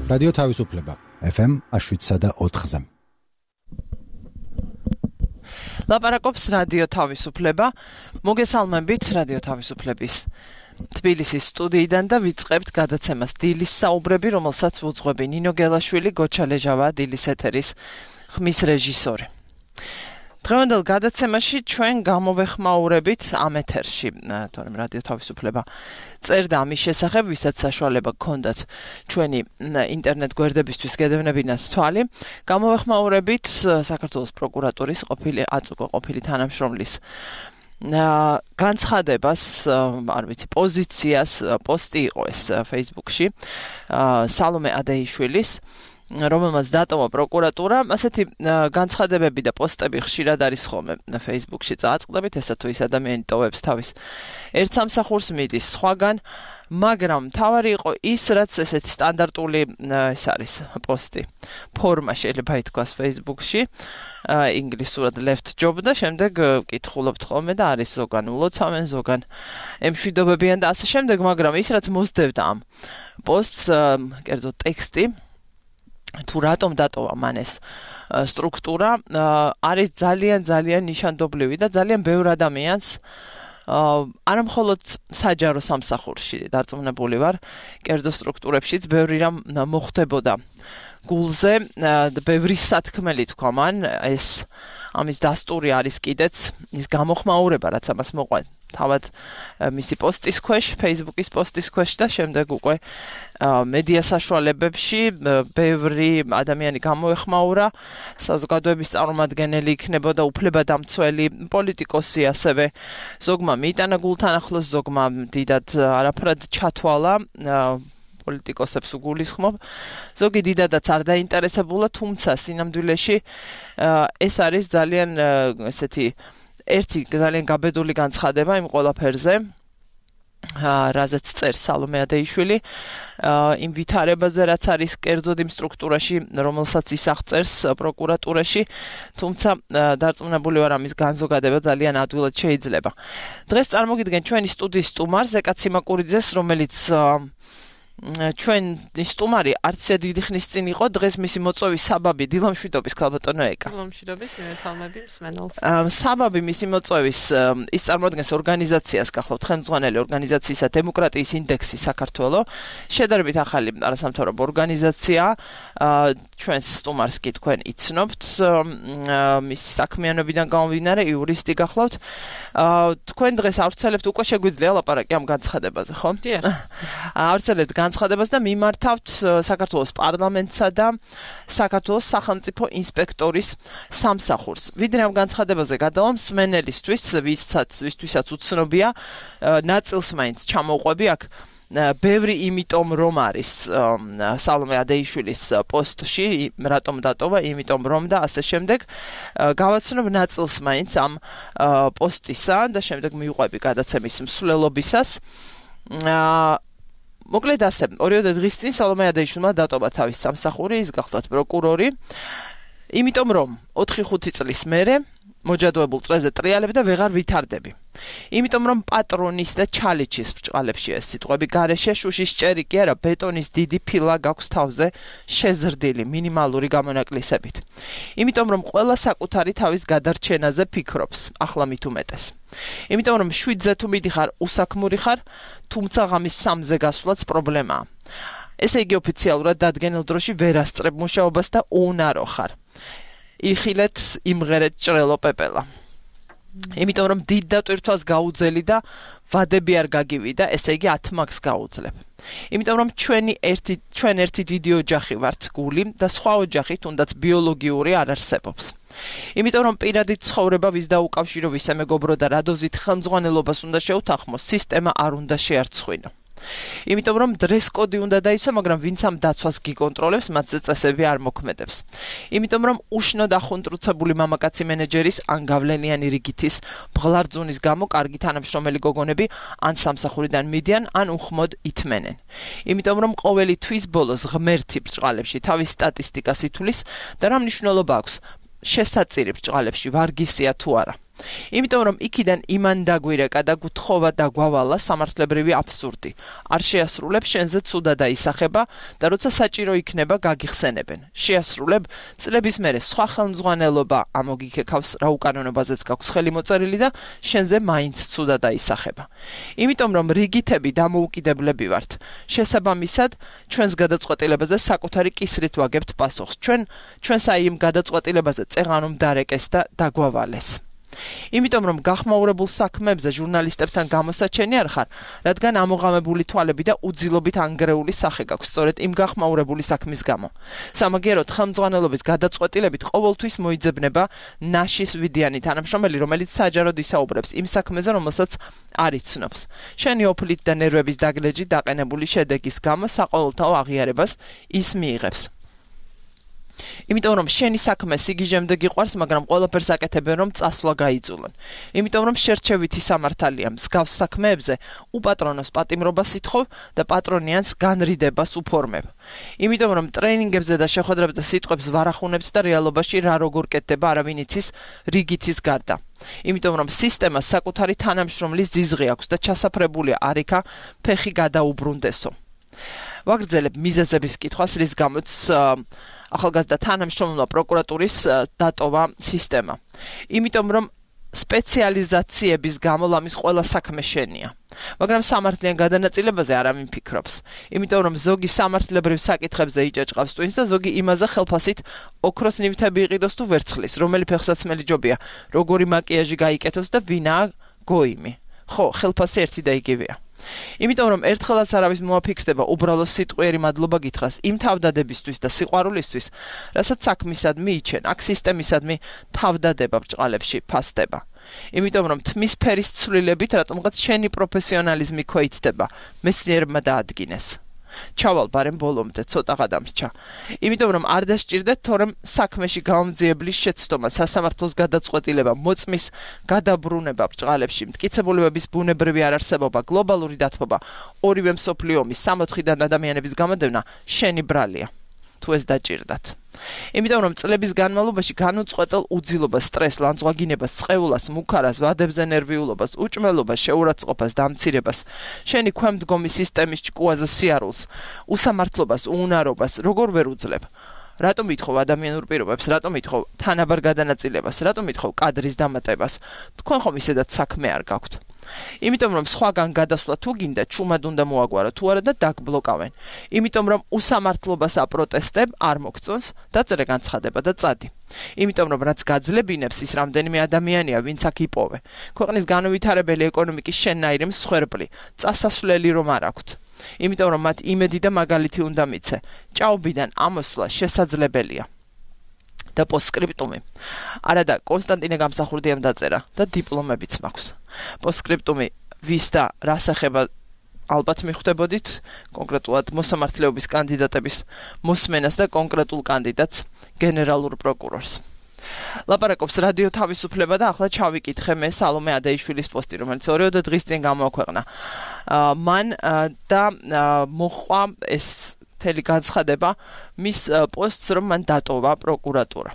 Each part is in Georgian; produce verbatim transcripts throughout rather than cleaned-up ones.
რადიო თავისუფლება ეფ ემ შვიდსა და ოთხზე. ლაპარაკობს რადიო თავისუფლება. მოგესალმებით რადიო თავისუფლების თბილისის სტუდიიდან და ვიწყებთ გადაცემას დილის საუბრები, რომელსაც უძღვები ნინო გელაშვილი, გოჩა ლეჟავა, დილის ეთერის ხმის რეჟისორი. დღევანდელ გადაცემაში ჩვენ გამოვეხმაურებით ამ ეთერში, თორემ რადიო თავისუფლება წერდა ამის შესახებ, ვისაც საშუალება გქონდათ ჩვენი ინტერნეტ გვერდებისთვის გედევნებინათ თვალი, გამოვეხმაურებით საქართველოს პროკურატურის ყოფილი აწუկო ყოფილი თანამშრომლის განცხადებას, არ ვიცი, პოზიციას, პოსტი იყო ეს Facebook-ში, სალომე ადეიშვილის, რომელმაც დატოვა პროკურატურა. ასეთი განცხადებები და პოსტები ხშირად არის ხოლმე Facebook-ში წააწყდებით, ესა თუ ის ადამიანი ტოვებს თავის ერთ სამსახურს, მიდის სხვაგან, მაგრამ მთავარი იყო ის, რაც ესეთი სტანდარტული ეს არის პოსტი ფორმა შეიძლება ითქვას Facebook-ში, ინგლისურად left job და შემდეგ ვკითხულობთ ხოლმე და არის ზოგან ულოცავენ, ზოგან ემშვიდობებიან და ასე შემდეგ, მაგრამ ის რაც მოსდევდა ამ პოსტს, კერძო ტექსტი, თუ რატომ დატოვა მან ეს სტრუქტურა, არის ძალიან ძალიან ნიშანდობლივი და ძალიან ბევრ ადამიანს არა მხოლოდ საჯარო სამსახურში დარწმუნებული ვარ, კერძო სტრუქტურებშიც ბევრი რამ მოხდებოდა გულზე, ბევრი სათქმელი თქვა მან, ეს ამის დასტური არის კიდეც ის გამოხმაურება, რაც ამას მოყვა თავად მისი პოსტის ქვეშ, Facebook-ის პოსტის ქვეშ და შემდეგ უკვე მედია საშუალებებში ბევრი ადამიანი გამოეხმაურა, საზოგადოების წარმომადგენელი იქნებოდა, უფლებადამცველი, პოლიტიკოსი ასევე, ზოგმა მიიტანა გულთან ახლოს, ზოგმა დიდად არაფრად ჩათვალა, პოლიტიკოსებს უგულისხმობ, ზოგი დიდადაც არ დაინტერესებულა, თუმცა სინამდვილეში ეს არის ძალიან ესეთი ერთი ძალიან გაბედული განცხადება იმ ყველაფერზე, რაზეც წერს სალომე ადეიშვილი, იმ ვითარებაზე, რაც არის კერძოდ იმ სტრუქტურაში, რომელსაც ის აღწერს პროკურატურაში, თუმცა დარწმუნებული ვარ ამის განზოგადება ძალიან ადვილად შეიძლება. დღეს წარმოგიდგენ ჩვენი სტუდიის სტუმარს, ზეკა ციმაკურიძეს, რომელიც ჩვენი სტუმარი არც დიდი ხნის წინ იყო, დღეს მისი მოწვევის საბაბი დილამშვიდობის ქალბატონო ეკა. დილამშვიდობის, მესალმები მსმენელს. საბაბი მისი მოწვევის ის წარმოადგენს ორგანიზაციას, გახლავთ ხელმძღვანელი ორგანიზაციისა დემოკრატიის ინდექსი საქართველო, შედარებით ახალი არასამთავრობო ორგანიზაცია, ჩვენს სტუმარს კი თქვენ იცნობთ, მისი საქმიანობიდან გამომდინარე იურისტი გახლავთ. თქვენ დღეს ავრცელებთ, უკვე შეგვიძლია ლაპარაკი ამ განცხადებაზე, ხო? დიახ. ავრცელებთ განცხადებას და მიმართავთ საქართველოს პარლამენტსა და საქართველოს სახელმწიფო ინსპექტორის სამსახურს. ვიდრე ამ განცხადებაზე გადავალ მსმენელისთვის, ვისაც ვისთვისაც უცნობია, ნაწილს მაინც ჩამოვყვები აქ. ბევრი იმიტომ რომ არის სალომე ადეიშვილის პოსტში, რატომ დატოვა, იმიტომ რომ და ასე შემდეგ, გავაცნობ ნაწილს მაინც ამ პოსტისა და შემდეგ მივყვები გადაცემის მსვლელობისას. მოკლედ ასე, ორიოდე დღის წინ სალომე ადეიშვილმა დატოვა თავის სამსახური, ის გახლავთ პროკურორი, იმიტომ რომ ოთხი ხუთი წლის მერე მოჯადოებულ წრეზე ტრიალები და ვეღარ ვითარდები. იმიტომ რომ პატრონის და ჩალიჩის ბრჭყალებში ეს სიტყვები გარეშე, შუშის ჭერი კი არა, ბეტონის დიდი ფილა გაქვს თავზე შეზრდილი მინიმალური გამონაკლისებით. იმიტომ რომ ყველა საკუთარი თავის გადარჩენაზე ფიქრობს, ახლა მით უმეტეს. იმიტომ რომ შვიდზე თუ მიდიხარ, უსაქმური ხარ, თუმცა ღამის სამზე გასვლაც პრობლემაა. ესე იგი ოფიციალურად დადგენილ დროში ვერ ასწრებ მუშაობას და უნარო ხარ. იხილეთ, იმღერეთ ჭრელო პეპელა. იმიტომ რომ დიდ დატვირთვას გაუძელი და ვადები არ გაგივიდა, ესე იგი ათ მაგს გაუძლებ. იმიტომ რომ ჩვენი ერთი ჩვენ ერთი დიდი ოჯახი ვართ გული და სხვა ოჯახი თუნდაც ბიოლოგიური არ არსებობს. იმიტომ რომ პირადი ცხოვრება ვის დაუკავშირო, ვისე მეგობრო და რადოზით ხელმძღვანელობას უნდა შეუთანხმოს, სისტემა არ უნდა შეარცხვინო. იმიტომ რომ დრეს კოდი უნდა დაიცვა, მაგრამ ვინც ამ დაცვას გიკონტროლებს, მათზე წესები არ მოქმედებს. იმიტომ რომ უშნოდ ახუნტრუცებული მამაკაცი მენეჯერის ან გავლენიანი რიგითის ბღლარძუნის გამო კარგი თანამშრომელი გოგონები ან სამსახურიდან მიდიან, ან უხმოდ ითმენენ. იმიტომ რომ ყოველი თვის ბოლოს ღმერთი ბრჭყალებში თავის სტატისტიკას ითulis და რა მნიშვნელობა აქვს შესაწირი ბრჭყალებში ვარგისია თუ არა. იმიტომ რომ იქიდან იმან დაგვირეკა და გუთხოვა და გვავალა სამართლებრივი აბსურდი. არ შეასრულებ შენზე ცუდა დაისახება და როცა საჭირო იქნება გაგიხსენებენ. შეასრულებ წლების მერე სხვა ხელმძღვანელობა ამოგიქეკავს რა უკანონობაზეც გაქვს ხელი მოწერილი და შენზე მაინც ცუდა დაისახება. იმიტომ რომ რიგითები დამოუკიდებლები ვართ. შესაბამისად ჩვენს გადაწყვეტილებაზე საკუთარი კისრით ვაგებთ პასუხს. ჩვენ ჩვენს აი იმ გადაწყვეტილებაზე წეღანომ დარეკეს და დაგვავალეს. იმიტომ რომ გახმაურებულ საქმეებზე ჟურნალისტებთან გამოსაჩენი არ ხარ, რადგან ამოღამებული თვალები და უძილობით ანგრეული სახე გაქვს სწორედ იმ გახმაურებული საქმის გამო. სამაგიეროდ ხელმძღვანელობის გადაწყვეტილებით ყოველთვის მოიძებნება ნაშის ვიდიანი თანამშრომელი, რომელიც საჯაროდ ისაუბრებს იმ საქმეზე, რომელსაც არ იცნობს. შენი ოფლით და ნერვების დაგლეჯით დაყენებული შედეგის გამო საყოველთაო აღიარებას ის მიიღებს. იმიტომ რომ შენი საქმე სიგიჟემდე გიყვარს, მაგრამ ყველაფერს აკეთებენ რომ წასვლა გაიძულონ. იმიტომ რომ შერჩევითი სამართალია მსგავს საქმეებზე უპატრონოს პატიმრობას ითხოვ და პატრონიანს განრიდებას უფორმებ. იმიტომ რომ ტრენინგებზე და შეხვედრებზე სიტყვებს ვარახუნებთ და რეალობაში რა როგორ კეთდება არავინ იცის რიგითის გარდა. იმიტომ რომ სისტემას საკუთარი თანამშრომლის ძიზღი აქვს და ჩასაფრებულია არიქა ფეხი გადაუბრუნდესო. ვაგრძელებ მიზეზების კითხვას, რის გამოც ახალგაზრდა თანამშრომელმა პროკურატურის დატოვა სისტემა. იმიტომ რომ სპეციალიზაციების გამო ლამის ყველა საქმე შენია. მაგრამ სამართლიან გადანაწილებაზე არავინ ფიქრობს. იმიტომ რომ ზოგი სამართლებრივ საკითხებზე იჭაჭყავს ტვინს და ზოგი იმაზე ხელფასით ოქროს ნივთები იყიდოს თუ ვერცხლის, რომელი ფეხსაცმელი ჯობია, როგორი მაკიაჟი გაიკეთოს და ვინაა გოიმი. ხო, ხელფასი ერთი და იგივეა. იმიტომ რომ ერთხელაც არავის მოაფიქრდება უბრალოდ სიტყვიერი მადლობა გითხრას იმ თავდადებისთვის და სიყვარულისთვის, რასაც საქმისადმი იჩენ, აქ სისტემისადმი თავდადება ბრჭყალებში ფასდება. იმიტომ რომ თმის ფერის ცვლილებით რატომღაც შენი პროფესიონალიზმი ქვეითდება, მეცნიერებმა დაადგინეს. ჩავალ ბარემ ბოლომდე ცოტა გადამრჩა. იმიტომ რომ არ დასჭირდეთ თორემ საქმეში გამომძიებლის შეცდომა, სასამართლოს გადაწყვეტილება, მოწმის გადაბრუნება ბრჭყალებში, მტკიცებულებების ბუნებრივი არარსებობა, გლობალური დათბობა, ორივე მსოფლიო ომის სამოთხიდან ადამიანების გამოდევნა შენი ბრალია. თუ ეს დაჭირდათ. იმიტომ რომ წლების განმავლობაში განუწყვეტელ უძილობას, სტრესს, ლანძღვაგინებას, წყეულას, მუქარას, ვადებზე ნერვიულობას, უჭმელობას, შეურაცხყოფას, დამცირებას, შენი ქვემდგომი სისტემის ჭკუაზე სიარულს, უსამართლობას, უუნარობას, როგორ ვერ უძლებ? რატომ ითხოვ ადამიანურ პირობებს, რატომ ითხოვ თანაბარ გადანაწილებას, რატომ ითხოვ კადრის დამატებას? თქვენ ხომ ისედაც საქმე არ გაქვთ. იმიტომ რომ სხვაგან გადასვლა თუ გინდა, ჩუმად უნდა მოაგვარო თუ არა და დაგბლოკავენ. იმიტომ რომ უსამართლობას აპროტესტებ, არ მოგწონს, დაწერე განცხადება და წადი. იმიტომ რომ რაც გაძლებინებს ის რამდენიმე ადამიანია, ვინც აქ იპოვე. ქვეყნის განუვითარებელი ეკონომიკის შენნაირი მსხვერპლი, წასასვლელი რომ არ აქვთ. იმიტომ რომ მათ იმედი და მაგალითი უნდა მიცე. ჭაობიდან ამოსვლა შესაძლებელია. და პოსტსკრიპტუმი. არა და კონსტანტინე გამსახურდიამ დაწერა და დიპლომებიც მაქვს. პოსტსკრიპტუმი ვის და რას ეხება ალბათ მიხვდებოდით, კონკრეტულად მოსამართლეობის კანდიდატების მოსმენას და კონკრეტულ კანდიდატს გენერალურ პროკურორს. ლაპარაკობს რადიო თავისუფლება და ახლა ჩავიკითხე მე სალომე ადეიშვილის პოსტი, რომელიც ორიოდე დღის წინ გამოაქვეყნა. მან და მოხვა ეს თელი განცხადება მის პოსტს, რომ მან დატოვა პროკურატურა.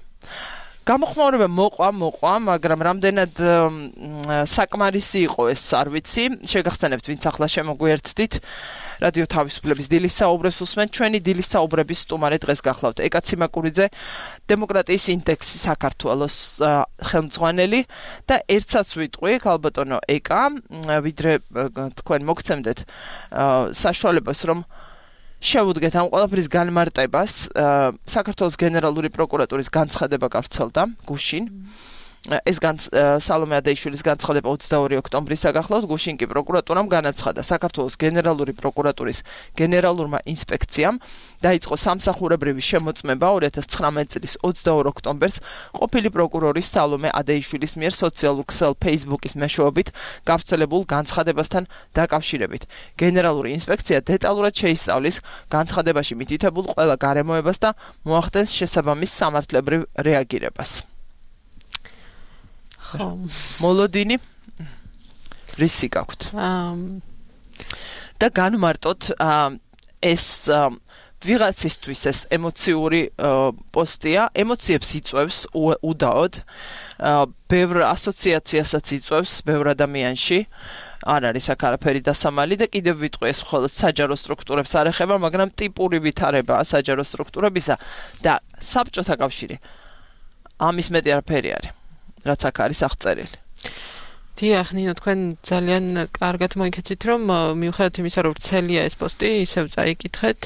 გამოხმაურება მოყვა, მოყვა, მაგრამ რამდენად საკმარისი იყო ეს არ ვიცი. შეგახსენებთ, ვინც ახლა შემოგვიერთდით. რადიო თავისუფლების დილის საუბრებს უსმენთ. ჩვენი დილის საუბრების სტუმარი დღეს გახლავთ ეკა ციმაკურიძე, დემოკრატიის ინდექსის საქართველოს ხელმძღვანელი და ერთსაც ვიტყვი, ქალბატონო ეკა, ვიდრე თქვენ მოგცემდეთ საშუალებას, რომ შევუდგეთ ამ ყველაფრის განმარტებას. საქართველოს გენერალური პროკურატურის განცხადება გავრცელდა გუშინ. ეს სალომე ადეიშვილის განცხადება ოცდაორი ოქტომბრის გახლავთ. გუშინ კი პროკურატურამ განაცხადა, საქართველოს გენერალური პროკურატურის გენერალურმა ინსპექციამ დაიწყო სამსახურებრივი შემოწმება ორი ათას ცხრამეტი წლის ოცდაორ ოქტომბერს ყოფილი პროკურორის სალომე ადეიშვილის მიერ სოციალურ ქსელ Facebook-ის მეშვეობით გავრცელებულ განცხადებასთან დაკავშირებით. გენერალური ინსპექცია დეტალურად შეისწავლის განცხადებაში მითითებულ ყველა გარემოებას და მოახდენს შესაბამის სამართლებრივ რეაგირებას. მოლოდინი რისი გაქვთ? და განმარტოთ ეს ვიღაცისთვის ეს ემოციური პოსტია, ემოციებს იწვევს უდაოდ, ბევრ ასოციაციასაც იწვევს ბევრ ადამიანში. არ არის აქ არაფერი დასამალი და კიდევ ვიტყვი ეს მხოლოდ საჯარო სტრუქტურებს არ ეხება, მაგრამ ტიპური ვითარებაა საჯარო სტრუქტურებისა და საბჭოთა კავშირი ამის მეტი არაფერი არის, რაც აქ არის აღწერილი. დიახ, ნინო, თქვენ ძალიან კარგად მოიქეცით, რომ მიუხედავად იმისა, რომ ვრცელია ეს პოსტი, ისევ წაიკითხეთ.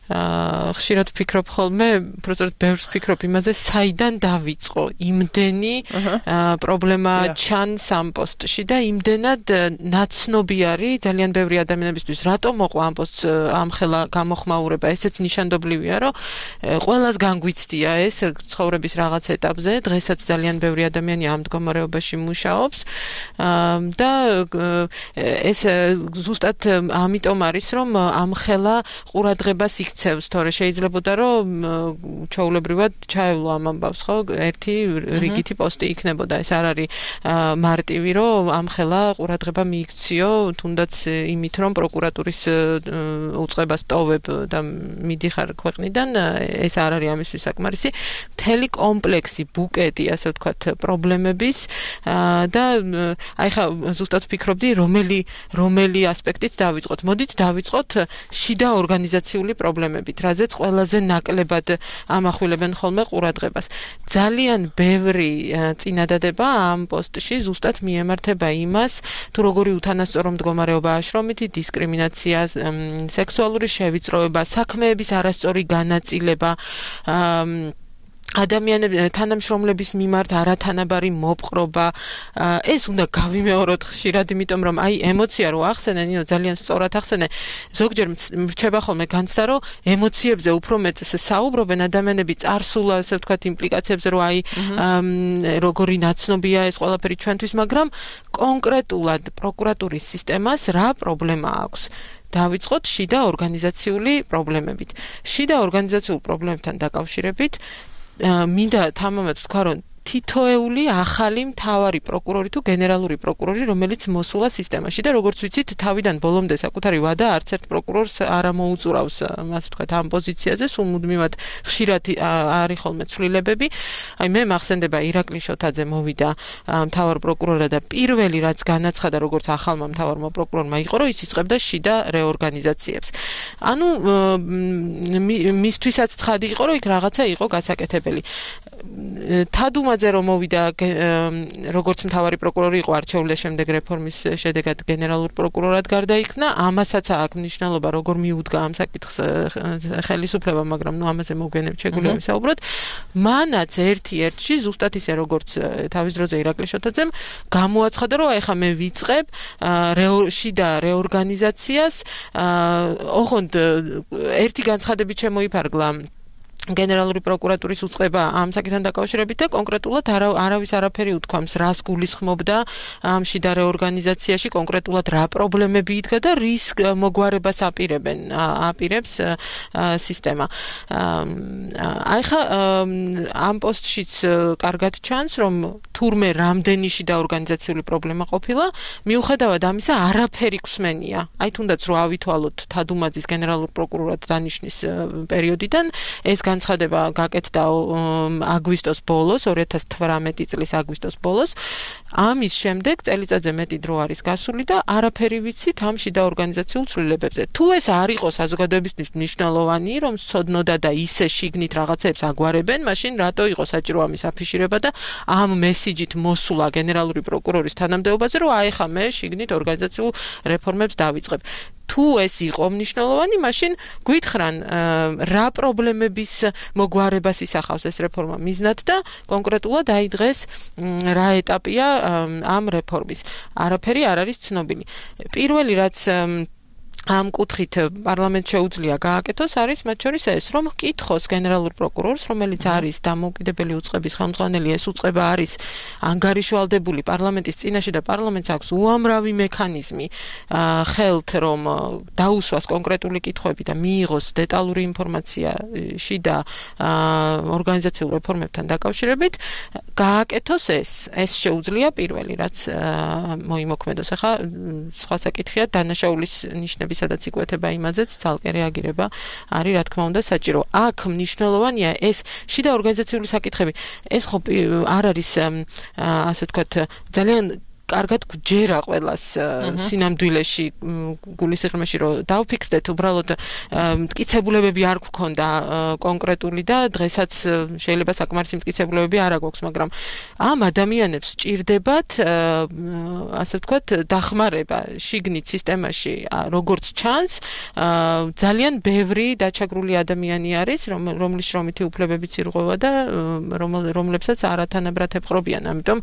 ხშირად ვფიქრობ ხოლმე, უბრალოდ ბევრს ვფიქრობ იმაზე, საიდან დავიწყო იმდენი პრობლემა ჩანს ამ პოსტში და იმდენად ნაცნობი არის ძალიან ბევრი ადამიანებისთვის, რატომ მოყვა ამ პოსტს ამხელა გამოხმაურება, ესეც ნიშანდობლივია, რომ ყველას განგვიცდია ეს ცხოვრების რაღაც ეტაპზე, დღესაც ძალიან ბევრი ადამიანი ამ მდგომარეობაში მუშაობს და ეს ზუსტად ამიტომ არის, რომ ამხელა ყურადღებას იქცევს, თორე შეიძლებოდა რომ ჩაულებრივად ჩაევლო ამ ამბავს, ხო, ერთი რიგითი პოსტი იქნებოდა. ეს არ არის მარტივი, რომ ამხელა ყურადღება მიიქციო, თუნდაც იმით, რომ პროკურატურის უწყებას ტოვებ და მიდიხარ ქვეყნიდან, ეს არ არის ამისთვის საკმარისი. მთელი კომპლექსი, ბუკეტი, ასე ვთქვათ, პრობლემების და აი ხა ზუსტად ვფიქრობდი, რომელი რომელი ასპექტით დავიწყოთ. მოდით დავიწყოთ შიდა ორგანიზაციული პრობლემებით, რაზეც ყველაზე ნაკლებად ამახვილებენ ხოლმე ყურადღებას. ძალიან ბევრი წინადადება ამ პოსტში ზუსტად მიემართება იმას, თუ როგორი უთანასწორო მდგომარეობაა შრომითი დისკრიმინაცია, სექსუალური შევიწროება, საქმეების არასწორი განაწილება, ადამიანების თანამშრომლების მიმართ არათანაბარი მოპყრობა. ეს უნდა გავიმეოროთ ხშირად, იმიტომ რომ აი ემოცია რო ახსენე, ნინო, ძალიან სწორად ახსენე. ზოგჯერ მრჩება ხოლმე განცდა, რომ ემოციებზე უფრო მეტს საუბრობენ ადამიანები წარსულ, ასე ვთქვათ, იმპლიკაციებზე, რომ აი როგორი ნაცნობია ეს ყველაფერი ჩვენთვის, მაგრამ კონკრეტულად პროკურატურის სისტემას რა პრობლემა აქვს? დავიწყოთ შიდა ორგანიზაციული პრობლემებით. შიდა ორგანიზაციულ პრობლემებთან დაკავშირებით მინდა თამამად ვთქვა, რომ თითოეული ახალი მთავარი პროკურორი თუ გენერალური პროკურორი, რომელიც მოსულა სისტემაში და როგორც ვიცით, თავიდან ბოლომდე საკუთარი ვადა არც ერთ პროკურორს არ ამოუწურავს, ასე ვთქვათ, ამ პოზიციაზე, სულ მუდმივად ხშირად არის ხოლმე ცვლილებები. აი მე მახსენდება ირაკლი შოთაძე მოვიდა მთავარ პროკურორად და პირველი რაც განაცხადა, როგორც ახალმა მთავარმა პროკურორმა იყო, რომ ის იწყებდა შიდა რეორგანიზაციებს. ანუ მისთვისაც ცხადი იყო, რომ იქ რაღაცა იყო გასაკეთებელი. თადუმაძე რომ მოვიდა როგორც მთავარი პროკურორი იყო არჩეული და შემდეგ რეფორმის შედეგად გენერალურ პროკურორად გარდაიქმნა, ამასაც აქვს მნიშვნელობა, როგორ მიუდგა ამ საკითხს ხელისუფლება, მაგრამ ნუ ამაზე მოგვიანებით შეგვიძლია ვისაუბროთ. მანაც ერთ-ერთში ზუსტად ისე როგორც თავის დროზე ირაკლი შოთაძემ გამოაცხადა, რომ აი ხა მე ვიწყებ შიდა რეორგანიზაციას, ოღონდ ერთი განცხადებით შემოიფარგლა გენერალური პროკურატურის უწყება ამ საკითხთან დაკავშირებით და კონკრეტულად არავის არაფერი უთქვამს, რას გულისხმობდა ამ შიდა რეორგანიზაციაში, კონკრეტულად რა პრობლემები იდგა და რის მოგვარებას აპირებენ, აპირებს სისტემა. აი ხა ამ პოსტშიც კარგად ჩანს, რომ თურმე რამდენი შიდა ორგანიზაციული პრობლემა ყოფილა, მიუხედავად ამისა არაფერი გვსმენია. აი თუნდაც რო ავითვალოთ თადუმაძის გენერალურ პროკურორად დანიშნის პერიოდიდან, ეს განცხადება გაკეთდა აგვისტოს ბოლოს, ორი ათას თვრამეტი წლის აგვისტოს ბოლოს. ამის შემდეგ წელიწადზე მეტი დრო არის გასული და არაფერი ვიცით ამ შიდა ორგანიზაციულ ცვლილებებზე. თუ ეს არ იყო საზოგადოებისთვის მნიშვნელოვანი, რომ სცოდნოდა და ისე შიგნით რაღაცებს აგვარებენ, მაშინ რატო იყო საჭირო ამის აფიშირება და ამ მესიჯით მოსულა გენერალური პროკურორის თანამდებობაზე, რომ აი ხა მე შიგნით ორგანიზაციულ რეფორმებს დავიწყებ. თუ ეს იყო მნიშვნელოვანი, მაშინ გვითხრან რა პრობლემების მოგვარებას ისახავს ეს რეფორმა მიზნად და კონკრეტულად აი დღეს რა ეტაპია ამ რეფორმის. არაფერი არ არის ცნობილი. პირველი რაც ამ კუთხით პარლამენტს შეუძლია გააკეთოს, არის მათ შორის ეს, რომ ჰკითხოს გენერალურ პროკურორს, რომელიც არის დამოუკიდებელი უწყების ხელმძღვანელი, ეს უწყება არის ანგარიშვალდებული პარლამენტის წინაშე და პარლამენტს აქვს უამრავი მექანიზმი ხელთ, რომ დაუსვას კონკრეტული კითხვები და მიიღოს დეტალური ინფორმაცია შიდა ორგანიზაციულ რეფორმებთან დაკავშირებით, გააკეთოს ეს. ეს შეუძლია პირველი, რაც მოიმოქმედოს. ახლა სხვა საკითხია დანაშაულის ნიშნების ფაქტები, სადაც იკვეთება იმაზეც ძალკე რეაგირება არის რა თქმა უნდა საჭირო. აქ მნიშვნელოვანია ეს შიდა ორგანიზაციული საკითხები. ეს ხო არ არის ასე ვთქვათ ძალიან კარგად გვჯერა ყველას სინამდვილეში გულისიღრმეში რომ დავფიქრდეთ უბრალოდ მტკიცებულებები არ გვქონდა კონკრეტული და დღესაც შეიძლება საკმარისი მტკიცებულებები არ აქვს მაგრამ ამ ადამიანებს ჭირდებათ ასე ვთქვათ დახმარება შიგნით სისტემაში როგორც ჩანს ძალიან ბევრი დაჩაგრული ადამიანი არის რომლის შრომითი უფლებებიც ირღვევა და რომლებსაც არათანაბრად ეპყრობიან ამიტომ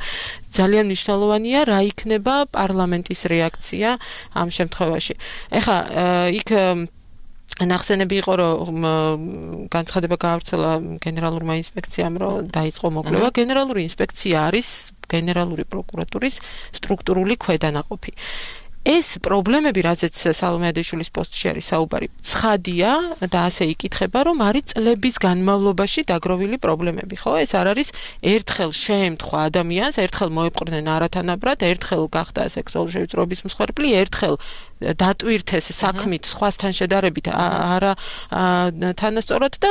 ძალიან მნიშვნელოვანია რა იქნება პარლამენტის რეაქცია ამ შემთხვევაში. ეხლა იქ ნახსენები იყო რომ განცხადება გაავრცელა გენერალურმა ინსპექციამ რომ დაიწყო მოკვლევა. გენერალური ინსპექცია არის გენერალური პროკურატურის სტრუქტურული ქვედანაყოფი. ეს პრობლემები, რაზეც სალომე ადეიშვილის პოსტში არის საუბარი, ცხადია და ასე იკითხება, რომ არის წლების განმავლობაში დაგროვილი პრობლემები, ხო? ეს არ არის ერთხელ შეემთხვა ადამიანს, ერთხელ მოეპყრნენ არათანაბრად, ერთხელ გახდა სექსუალური შევიწროების მსხვერპლი, ერთხელ დატვირთეს საქმით სხვასთან შედარებით არა თანასწორად და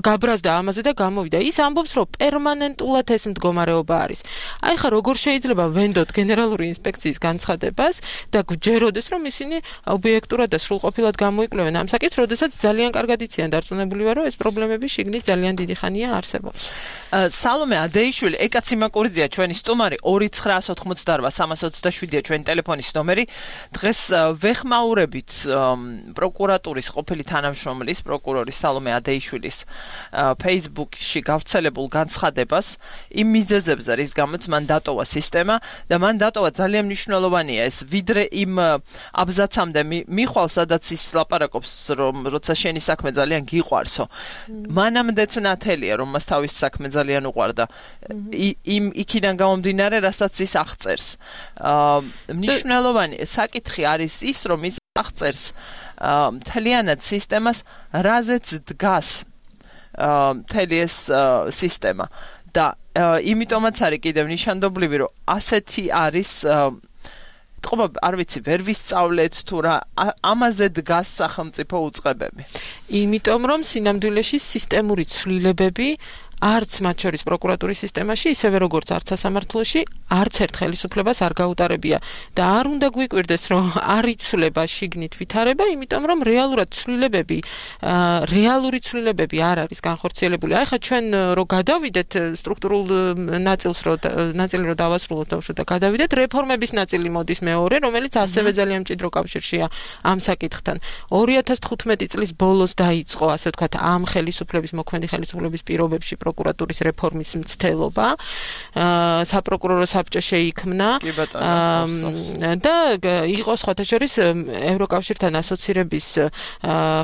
გაბრაზდა ამაზე და გამოვიდა. ის ამბობს, რომ პერმანენტულად ეს მდგომარეობა არის. აი ხა როგორ შეიძლება ვენდოთ გენერალური ინსპექციის განცხადებას და გვჯეროდეს, რომ ისინი ობიექტურად და სრულყოფილად გამოიკვლევენ ამ საკითხს, როდესაც ძალიან კარგად იციან დარწმუნებული ვარ, რომ ეს პრობლემები შიგნით ძალიან დიდი ხანია არსებობს. სალომე ადეიშვილი, ეკაცი მაკურიძეა ჩვენი სტუმარი ორი ცხრაას ოთხმოცდაორვა სამას ოცდაშვიდია ჩვენი ტელეფონის ნომერი. დღეს ვეხმაურებით პროკურატურის ყოფილი თანამშრომლის პროკურორის სალომე ადეიშვილის Facebook-ში გავრცელებულ განცხადებას იმ მიზეზებზე, რის გამოც მან დატოვა სისტემა და მან დატოვა ძალიან მნიშვნელოვანია ეს ვიდრე იმ აბზაცამდე მიხვალ სადაც ის ლაპარაკობს რომ როცა შენი საქმე ძალიან გიყვარსო მანამდეც ნათელია რომ მას თავის საქმე ძალიან უყვარდა იმ იქიდან გამომდინარე რასაც ის აღწერს მნიშვნელოვანი საკითხი არის ის რომ ის აღწერს მთლიანად სისტემას რაზეც დგას მთელი ეს სისტემა და იმიტომაც არის კიდევ ნიშანდობლივი რომ ასეთი არის თქობა არ ვიცი ვერ ვისწავლეთ თუ რა ამაზე დგას სახელმწიფო უწყებები იმიტომ რომ სინამდვილეში სისტემური ცვლილებები არც მათ შორის პროკურატურის სისტემაში, ისევე როგორც არც სასამართლოში, არც ერთ ხელისუფლებას არ გაუტარებია და არ უნდა გვიკვირდეს, რომ არ იცვლება შიგნით ვითარება, იმიტომ რომ რეალურად ცვლილებები, რეალური ცვლილებები არ არის განხორციელებული. აი ხა ჩვენ რო გადავიდეთ სტრუქტურულ ნაწილს, რო ნაწილი რო დავასრულოთ და გადავიდეთ, რეფორმების ნაწილი მოდის მეორე, რომელიც ასევე ძალიან მჭიდრო კავშირშია ამ საკითხთან. ორი ათას თხუთმეტი წლის ბოლოს დაიწყო, ასე ვთქვათ, ამ ხელისუფლების მოქმედი ხელისუფლების პირობებში პროკურატურის რეფორმის მცდელობა საპროკურორო საბჭო შეიქმნა და იყო სხვათა შორის ევროკავშირთან ასოცირების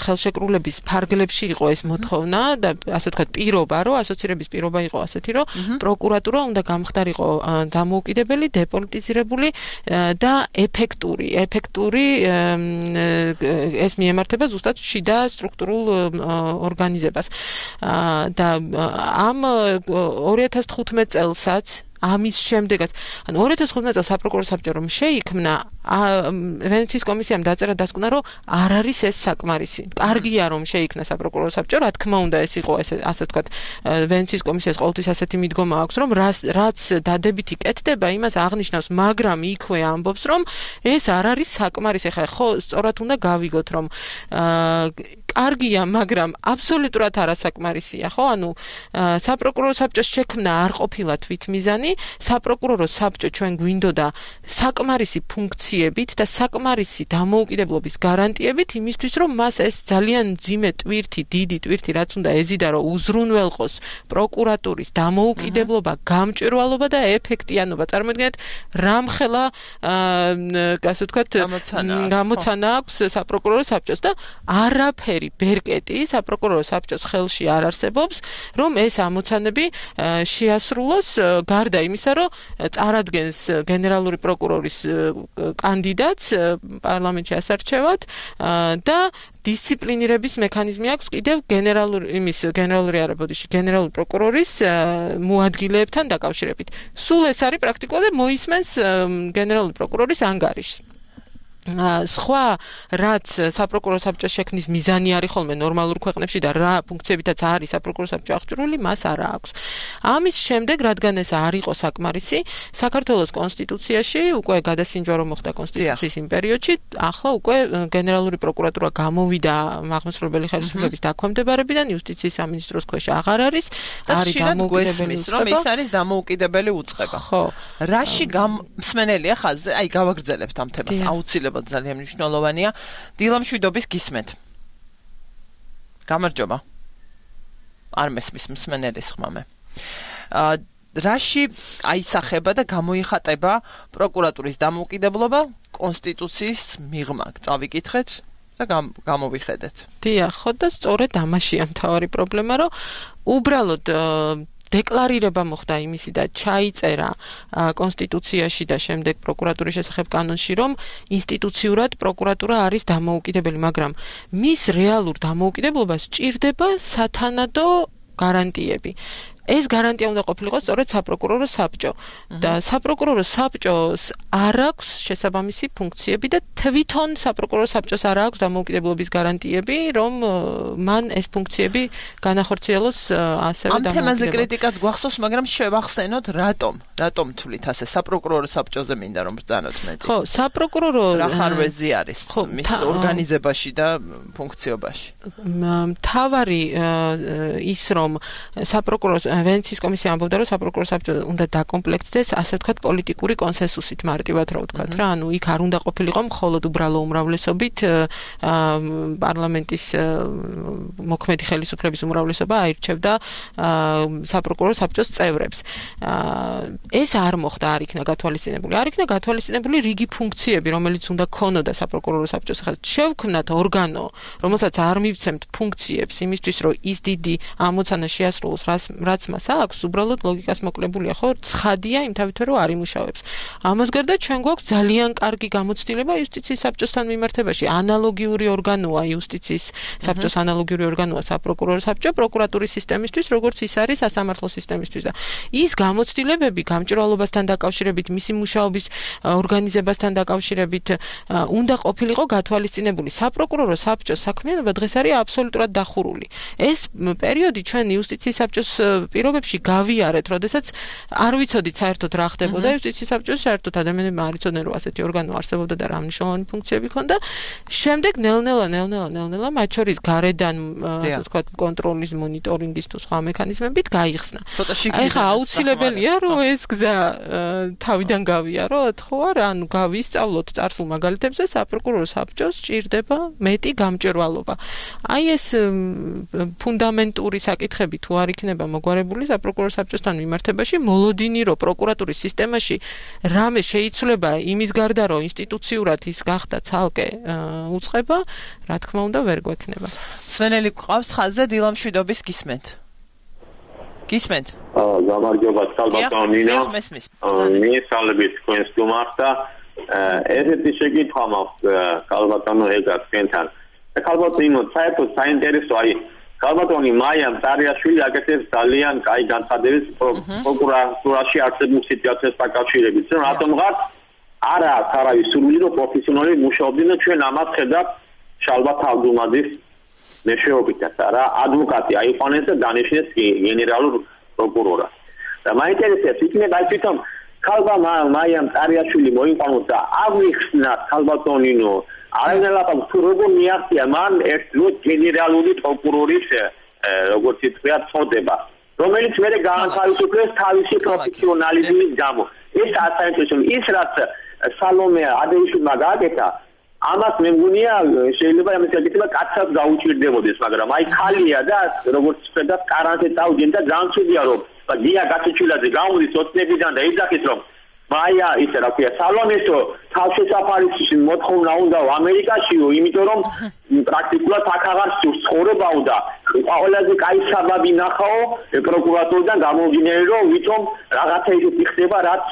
ხელშეკრულების ფარგლებში იყო ეს მოთხოვნა და ასე ვთქვათ პირობა რომ ასოცირების პირობა იყო ასეთი რომ პროკურატურა უნდა გამხდარიყო დამოუკიდებელი, დეპოლიტიზირებული და ეფექტური ეფექტური ეს მიემართება ზუსტად შიდა სტრუქტურულ ორგანიზებას და ამ ორი ათას თხუთმეტ წელსაც ამის შემდეგაც ან ორი ათას თხუთმეტ წელს საპროკურორო საბჭო რომ შეიქმნა ვენეციის კომისიამ დაწერა დასკვნა რომ არ არის ეს საკმარისი. კარგია რომ შეიქმნა საპროკურორო საბჭო, რა თქმა უნდა ეს იყო ესე ასე ვთქვათ ვენეციის კომისიას ყოველთვის ასეთი მიდგომა აქვს რომ რაც დადებითი კეთდება იმას აღნიშნავს, მაგრამ იქვე ამბობს რომ ეს არ არის საკმარისი. ხა ხო სწორად უნდა გავიგოთ რომ კარგია, მაგრამ აბსოლუტურად არასაკმარისია, ხო? ანუ საპროკურორო საბჭოს შექმნა არ ყოფილა თვითმიზანი, საპროკურორო საბჭო ჩვენ გვინდოდა საკმარისი ფუნქციებით და საკმარისი დამოუკიდებლობის გარანტიებით იმისთვის, რომ მას ეს ძალიან მძიმე ტვირთი, დიდი ტვირთი, რაც უნდა ეზიდა, რომ უზრუნველყოს პროკურატურის დამოუკიდებლობა, გამჭვირვალობა და ეფექტიანობა. წარმოიდგინეთ, რამხელა ასე ვთქვათ, გამოცანა აქვს საპროკურორო საბჭოს და არაფერი ბერკეტი საპროკურორო საბჭოს ხელში არ არსებობს, რომ ეს ამოცანები შეასრულოს გარდა იმისა, რომ წარადგენს გენერალური პროკურორის კანდიდატს პარლამენტში ასარჩევად და დისციპლინირების მექანიზმი აქვს კიდევ გენერალური იმის გენერალური არაბოდიში გენერალური პროკურორის მოადგილეებთან დაკავშირებით. სულ ეს არის პრაქტიკულად და მოისმენს გენერალური პროკურორის ანგარიშს. სხვა რაც საპროკურორო საბჭოს შექმნის მიზანი არის ხოლმე ნორმალურ ქვეყნებში და რა ფუნქციებითაც არის საპროკურორო საბჭო აღჭურვილი, მას არა აქვს. ამის შემდეგ, რადგან ეს არ იყო საკმარისი, საქართველოს კონსტიტუციაში უკვე გადასინჯვა რომ მოხდა კონსტიტუციის იმ პერიოდში, ახლა უკვე გენერალური პროკურატურა გამოვიდა აღმასრულებელი ხელისუფლების დაქვემდებარებიდან, იუსტიციის სამინისტროს ქვეშ აღარ არის, არის დამოუკიდებელი უწყება, რომ ის არის დამოუკიდებელი უწყება. ხო. რაში მსმენელია ხაზზე? აი, გავაგრძელებთ ამ თემას. აუცილებლად ძალიან მნიშვნელოვანია. დილა მშვიდობის გისმენთ. გამარჯობა. არ მესმის მსმენელის ხმამე. აა რაში აისახება და გამოიხატება პროკურატურის დამოუკიდებლობა კონსტიტუციის მიღმა? წავიკითხეთ და გამოვიხედეთ. დიახ, ხო და სწორედ ამაშია მთავარი პრობლემა, რომ უბრალოდ დეკლარირება მოხდა იმისი და ჩაიწერა კონსტიტუციაში და შემდეგ პროკურატურის შესახებ კანონში, რომ ინსტიტუციურად პროკურატურა არის დამოუკიდებელი, მაგრამ მის რეალურ დამოუკიდებლობას სჭირდება სათანადო გარანტიები. ეს გარანტია უნდა ყოფილიყო სწორედ საპროკურორო საბჭო და საპროკურორო საბჭოს არ აქვს შესაბამისი ფუნქციები და თვითონ საპროკურორო საბჭოს არ აქვს დამოუკიდებლობის გარანტიები, რომ მან ეს ფუნქციები განახორციელოს ასევე დამოუკიდებლად. ამ თემაზე კრიტიკაც გვახსოვს, მაგრამ შევახსენოთ რატომ? რატომ თვლით ასე საპროკურორო საბჭოზე მინდა რომ ბრძანოთ მეტი? ხო, საპროკურორო რა ხარვეზი არის მის ორგანიზებაში და ფუნქციობაში? მთავარი ის რომ საპროკურორო ვენეციის კომისია ამბობდა, რომ საპროკურორო საბჭო უნდა დაკომპლექტდეს, ასე ვთქვათ, პოლიტიკური კონსენსუსით, მარტივად რა ვთქვათ რა, ანუ იქ არ უნდა ყოფილიყო მხოლოდ უბრალო უმრავლესობით პარლამენტის მოქმედი ხელისუფლების უმრავლესობა აირჩევდა საპროკურორო საბჭოს წევრებს. ეს არ მოხდა, არ იქნა გათვალისწინებული. არ იქნა გათვალისწინებული რიგი ფუნქციები, რომელიც უნდა ქონოდა საპროკურორო საბჭოს. ახლა შევქმნათ ორგანო, რომელსაც არ მივცემთ ფუნქციებს იმისთვის, რომ ის დიდი ამოცანა შეასრულოს, რაც მას აქვს, უბრალოდ ლოგიკას მოკლებულია, ხო? ცხადია იმთავითვე რომ არ იმუშავებს. ამას გარდა ჩვენ გვაქვს ძალიან კარგი გამოცდილება იუსტიციის საბჭოსთან მიმართებაში. ანალოგიური ორგანოა იუსტიციის საბჭოს ანალოგიური ორგანოა საპროკურორო საბჭო პროკურატურის სისტემისთვის, როგორც ის არის სასამართლო სისტემისთვის და ის გამოცდილებები გამჭვირვალობასთან დაკავშირებით, მისი მუშაობის ორგანიზებასთან დაკავშირებით უნდა ყოფილიყო გათვალისწინებული. საპროკურორო საბჭოს საქმიანობა დღეს არის აბსოლუტურად დახურული. ეს პერიოდი ჩვენ იუსტიციის საბჭოს პირობებში გავიარეთ, როდესაც არ ვიცოდით საერთოდ რა ხდებოდა იუსტიციის საბჭოს, საერთოდ ადამიანებმა არ იცოდნენ, რომ ასეთი ორგანო არსებობდა და რა მნიშვნელოვანი ფუნქციები ჰქონდა. შემდეგ ნელ-ნელა, ნელ-ნელა, ნელ-ნელა, მათ შორის გარედან, ასე ვთქვათ, კონტროლის, მონიტორინგის თუ სხვა მექანიზმებით გაიხსნა. ეხლა აუცილებელია, რომ ეს გზა თავიდან გავიაროთ, ხო არა? ანუ გავისწავლოთ წარსულ მაგალითებზე, საპროკურორო საბჭოს სჭირდება მეტი გამჭვირვალობა. აი ეს ფუნდამენტური საკითხები თუ არ იქნება მოგვარებული საპროკურორო საბჭოსთან მიმართებაში, მოლოდინი რო პროკურატურის სისტემაში რამე შეიცვლება იმის გარდა, რომ ინსტიტუციურად ის გახდა ცალკე უწყება, რა თქმა უნდა ვერ გვექნება. მსმენელი გვყავს ხაზზე, დილა მშვიდობის გისმენთ. გისმენთ? აა, გამარჯობა, ალბათ ნინა. მიესალმებით თქვენ სტუმარს და ესეთი შეკითხვა მაქვს ალბათანო ეგა თქვენთან. ალბათინო, საერთოდ საინტერესო აი ქალბატონი მაია მწარიაშვილი აკეთებს ძალიან კაი განცხადებას პროკურატურაში არსებულ სიტუაციას დაკავშირებით. რატომღაც არა არავის სურვილი რომ პროფესიონალი მუშაობდნენ და ჩვენ ამას ხედავთ შალბათ ალბუმაძის მეშვეობითაც არა ადვოკატი აიყვანეს და დანიშნეს გენერალურ პროკურორად. და მაინტერესებს იქნება აი თვითონ ქალბა მაია მწარიაშვილი მოიყვანოს და აღიხსნათ ქალბატონინო არავინელაპარაკ თუ როგორ მიაღწია მან ერთ გენერალური პროკურორის როგორც ითქვა წოდება რომელიც მე გაანთავისუფლეს თავისი პროფესიონალიზმის გამო ეს ასაინტერესო ის რაც სალომე ადეიშვილმა გააკეთა ამას მე მგონია შეიძლება ამის საკითხება კაცსაც გაუჭირდებოდეს მაგრამ აი ხალია და როგორც ხედა კარანტე წავიდნენ და განცუდია რომ გია გაცეჩილაძე გამოდის ოცნებიდან და იძახის რომ მაია ისე რა ქვია სალონესო თავშესაფარის მოთხოვნა უნდა ამერიკაშიო იმიტომ რომ პრაქტიკულად აქ აღარ ცხოვრებაო და ყველაზე კაი საბაბი ნახაო პროკურატურიდან გამომდინარე რომ ვითომ რაღაცა ისეთი ხდება რაც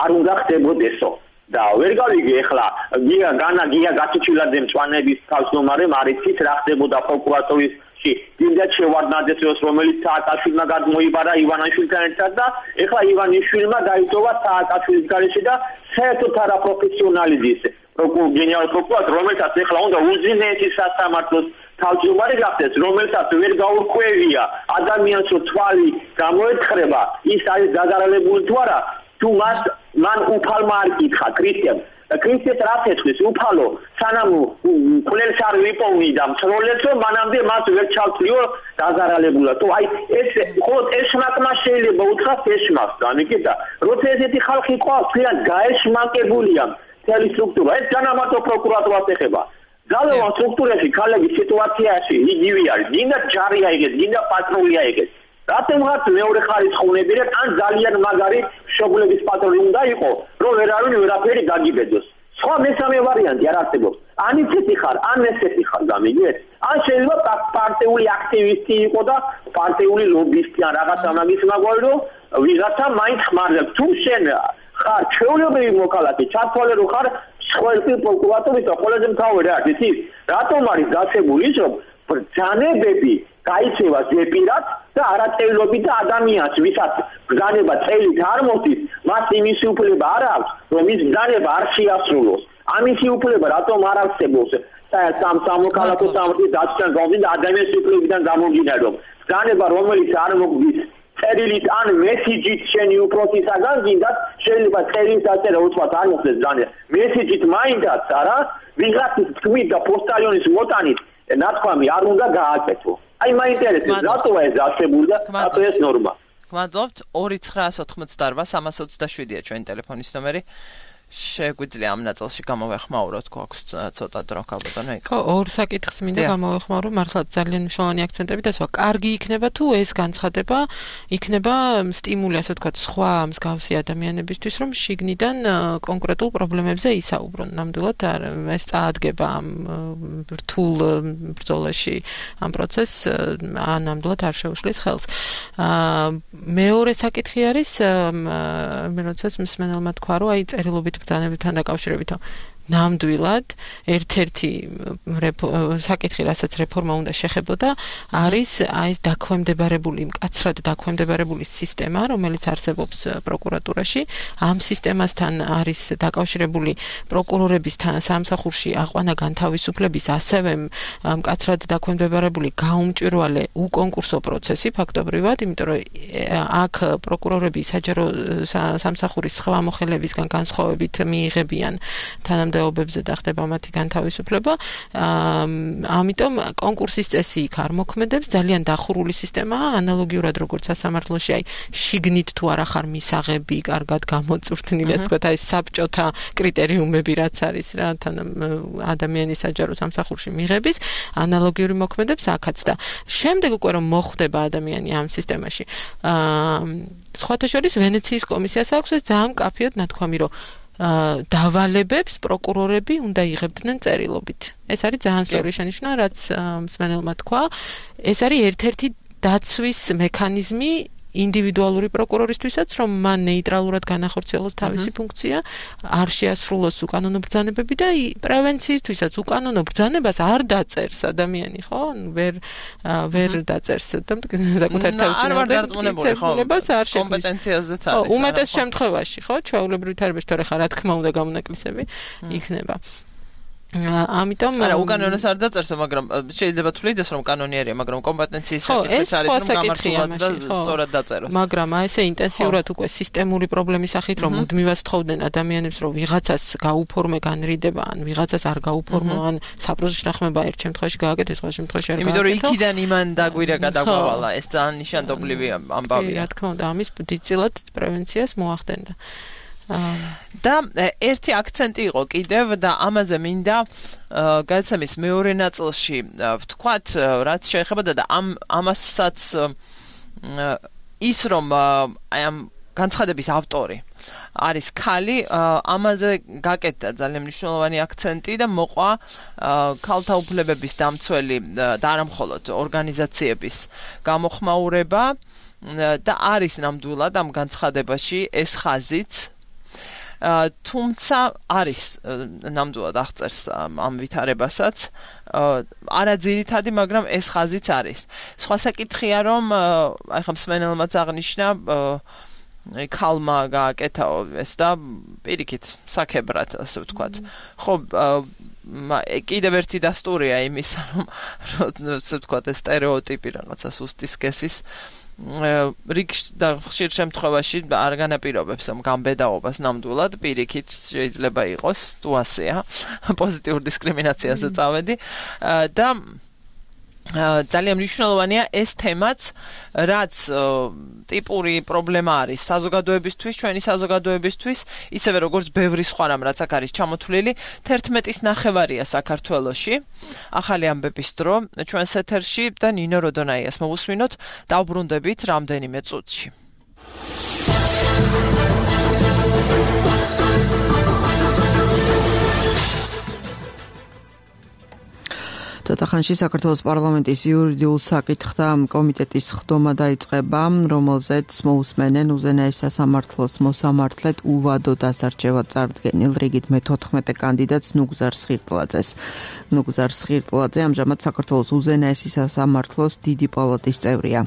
არ უნდა ხდებოდესო და ვერ გავიგე ახლა გია განა გია გაცეჩილაძე მწვანების თავმჯდომარე მარიცით რა ხდებოდა პროკურატურის დინდა შევარდნაძეს რომელიც სააკაშვილმა გადმოიბარა ივანაშვილთან ერთად და ეხლა ივანიშვილმა დაიტოვა სააკაშვილის გარეშე და საერთოდ არა პროფესიონალიზმის გენერალურ პროკურორს, რომელსაც ეხლა უნდა უზენაესი სასამართლოს თავმჯდომარე გახდეს, რომელსაც ვერ გაურკვევია ადამიანს თვალი გამოეცხრება, ის არის დაზარალებული თუ არა, თუ მას მან უფალმა არ იკითხა ქრისტემ. ქრისტეს რაც ეცვის უფალო, სანამ კვლელს არ ვიპოვნი და მცროლებს, მანამდე მას ვერ ჩავთვლიო დაზარალებულად. თუ აი ეს ხოლმე ეშმაკმა შეიძლება უთხრას ეშმაკს, განიკეთა. როცა ესეთი ხალხი ყავს, ძალიან გაეშმაკებულია მთელი სტრუქტურა. ეს განამარტო პროკურატურას ეხება. ძალოვან სტრუქტურაში ქალების სიტუაციაში იგივე არის. გინდა ჯარია იგეს, გინდა პატრულია იგეს. რატომღაც მეორე ხარისხოვნებიდან ან ძალიან მაგარი მშობლების პატრონი უნდა იყოს, რომ ვერავინ ვერაფერი გაგიბედოს. სხვა მესამე ვარიანტი არ არსებობს. ან ისეთი ხარ, ან ესეთი ხარ, გამიგეთ? ან შეიძლება პარტიული აქტივისტი იყო და პარტიული ლობისტი ან რაღაც ამაგის მაგვარი, რომ ვიღაცა მაინც ხმარდება. თუ შენ ხარ ჩვეულებრივი მოქალაქე, ჩათვალე რომ ხარ სხვადასხვა პროკურატურის და ყველაზე მთავარი რა არის ის, რატომ არის გასებული ის, რომ ბრძანებები გაიცევა ზეპირად და არაწევლობით და ადამიანს, ვისაც ბრძანება წელით არ მოდის, მას იმისი უფლება არ აქვს, რომ ის ბრძანება არ შეასრულოს. ამისი უფლება რატომ არ არსებობს? სამ სამოქალაქო სამართლის დაცვიდან გამომდინარე და ადამიანის უფლებიდან გამომდინარე, რომ ბრძანება რომელიც არ მოგდის წერილით ან მესიჯით შენი უფროსისაგან გინდათ, შეიძლება წერილით დაწერა უცბად არ მოხდეს ბრძანება. მესიჯით მაინდაც არა, ვიღაცის თქმით და პოსტალიონის მოტანით ნათქვამი არ უნდა გააკეთო. აი მაინტერესებს რატოა ეს არსებული და რატო ეს ნორმა. გმადლობთ. ორი ცხრაას ოთხმოცდაორბა სამას ოცდაშვიდია ჩვენი ტელეფონის ნომერი. შეგვიძლია ამ ნაწილში გამოვეხმაუროთ, გვაქვს ცოტა დრო ალბათ. ხო, ორ საკითხს მინდა გამოვეხმაურო, მართლა ძალიან მნიშვნელოვანი აქცენტები და სხვა. კარგი იქნება თუ ეს განცხადება იქნება სტიმული, ასე ვთქვათ, სხვა მსგავსი ადამიანებისთვის, რომ შიგნიდან კონკრეტულ პრობლემებზე ისაუბრონ. ნამდვილად ეს წაადგება ამ რთულ ბრძოლაში ამ პროცესს, ან ნამდვილად არ შეუშლის ხელს. მეორე საკითხი არის, მე როდესაც მსმენელმა თქვა, რომ აი წერილობით ბრძანებებთან დაკავშირებით ნამდვილად ერთ-ერთი საკითხი, რასაც რეფორმა უნდა შეხებოდა, არის აი ეს დაქვემდებარებული, მკაცრად დაქვემდებარებული სისტემა, რომელიც არსებობს პროკურატურაში. ამ სისტემასთან არის დაკავშირებული პროკურორების სამსახურში აყვანა განთავისუფლების, ასევე მკაცრად დაქვემდებარებული გაუმჭვირვალე უკონკურსო პროცესი ფაქტობრივად, იმიტომ რომ აქ პროკურორები საჯარო სამსახურის სხვა მოხელებისგან განსხვავებით მიიღებიან თანამ ობებზე და ხდება მათი განთავისუფლება. ამიტომ კონკურსის წესი იქ არ მოქმედებს, ძალიან დახურული სისტემაა, ანალოგიურად როგორც სასამართლოში, აი შიგნით თუ არა ხარ მისაღები, კარგად გამოწვრთნილი, ასე ვთქვათ, აი საბჭოთა კრიტერიუმები რაც არის რა, თან ადამიანის საჯარო სამსახურში მიღების, ანალოგიური მოქმედებს აქაც და შემდეგ უკვე რომ მოხვდება ადამიანი ამ სისტემაში. სხვათა შორის ვენეციის კომისიას აქვს ეს ძალიან მკაფიოდ ნათქვამი, რომ დავალებებს პროკურორები უნდა იღებდნენ წერილობით. ეს არის ძალიან სწორი შენიშვნა, რაც მსმენელმა თქვა. ეს არის ერთ-ერთი დაცვის მექანიზმი ინდივიდუალური პროკურორისთვისაც, რომ მან ნეიტრალურად განახორციელოს თავისი ფუნქცია, არ შეასრულოს უკანონო ბრძანებები და პრევენციისთვისაც უკანონო ბრძანებას არ დაწერს ადამიანი, ხო? ვერ ვერ დაწერს და საკუთარ თავში არ ვარ დარწმუნებული, ხო? კომპეტენციაზეც არის. უმეტეს შემთხვევაში, ხო? ჩვეულებრივი თარებაში თორე ხა რა თქმა უნდა გამონაკლისები იქნება. ამიტომ არა უკანონოს არ დაწერს, მაგრამ შეიძლება თulides რომ კანონიერია, მაგრამ კომპეტენციის საკითხიც არის, რომ გამართულად და სწორად დაწეროს. მაგრამ აი ესე ინტენსიურად უკვე სისტემური პრობლემის სახით, რომ მუდმივად თხოვდნენ ადამიანებს, რომ ვიღაცას გაუფორმე განრიდება, ან ვიღაცას არ გაუფორმო, ან საპროზო შეთანხმება ერთ შემთხვევაში გააკეთეს, სხვა შემთხვევაში არ გააკეთეს. იმიტომ რომ იქიდან იმან დაგვირა გადაგვავალა, ეს ძალიან ნიშანდობლივი ამბავია. რა თქმა უნდა, ამის დიდწილად პრევენციას მოახდენდა. და ერთი აქცენტი იყო კიდევ და ამაზე მინდა გადაცემის მეორე ნაწილში ვთქვათ, რაც შეეხება და ამ ამასაც ის რომ აი ამ განცხადების ავტორი არის ქალი, ამაზე გაკეთდა ძალიან მნიშვნელოვანი აქცენტი და მოყვა ქალთა უფლებების დამცველი და არა მხოლოდ ორგანიზაციების გამოხმაურება და არის ნამდვილად ამ განცხადებაში ეს ხაზიც. თუმცა არის ნამდვილად აღწერს ამ ვითარებასაც არა ძირითადი, მაგრამ ეს ხაზიც არის. სხვა საკითხია, რომ აი ხა მსმენელმაც აღნიშნა ქალმა გააკეთა ეს და პირიქით საქებრად ასე ვთქვათ. ხო კიდევ ერთი დასტურია იმისა რომ ასე ვთქვათ ეს სტერეოტიპი რაღაცა სუსტი სქესის რიგ და ხშირ შემთხვევაში არ განაპირობებს ამ გამბედაობას ნამდვილად პირიქით შეიძლება იყოს თუ ასეა პოზიტიურ დისკრიმინაციაზე წავედი და ძალიან მნიშვნელოვანია ეს თემაც რაც ტიპური პრობლემა არის საზოგადოებისთვის ჩვენი საზოგადოებისთვის ისევე როგორც ბევრი სხვა რამ რაც აქ არის ჩამოთვლილი თერთმეტის ნახევარია საქართველოში ახალი ამბების დრო ჩვენს ეთერში და ნინო როდონაიას მოვუსმინოთ დავბრუნდებით რამდენიმე წუთში ცოტახანში საქართველოს პარლამენტის იურიდიულ საკითხთა კომიტეტის ხდომა დაიწყება, რომელზეც მოусმენენ უზენაეს სასამართლოს მოსამართლედ უვადო დასარჩევად წარდგენილ რიგით მეთოთხმეტე კანდიდატს ნუგზარ სხირტლაძეს. ნუგზარ სხირტლაძე ამჟამად საქართველოს უზენაესი სასამართლოს დიდი პალატის წევრია.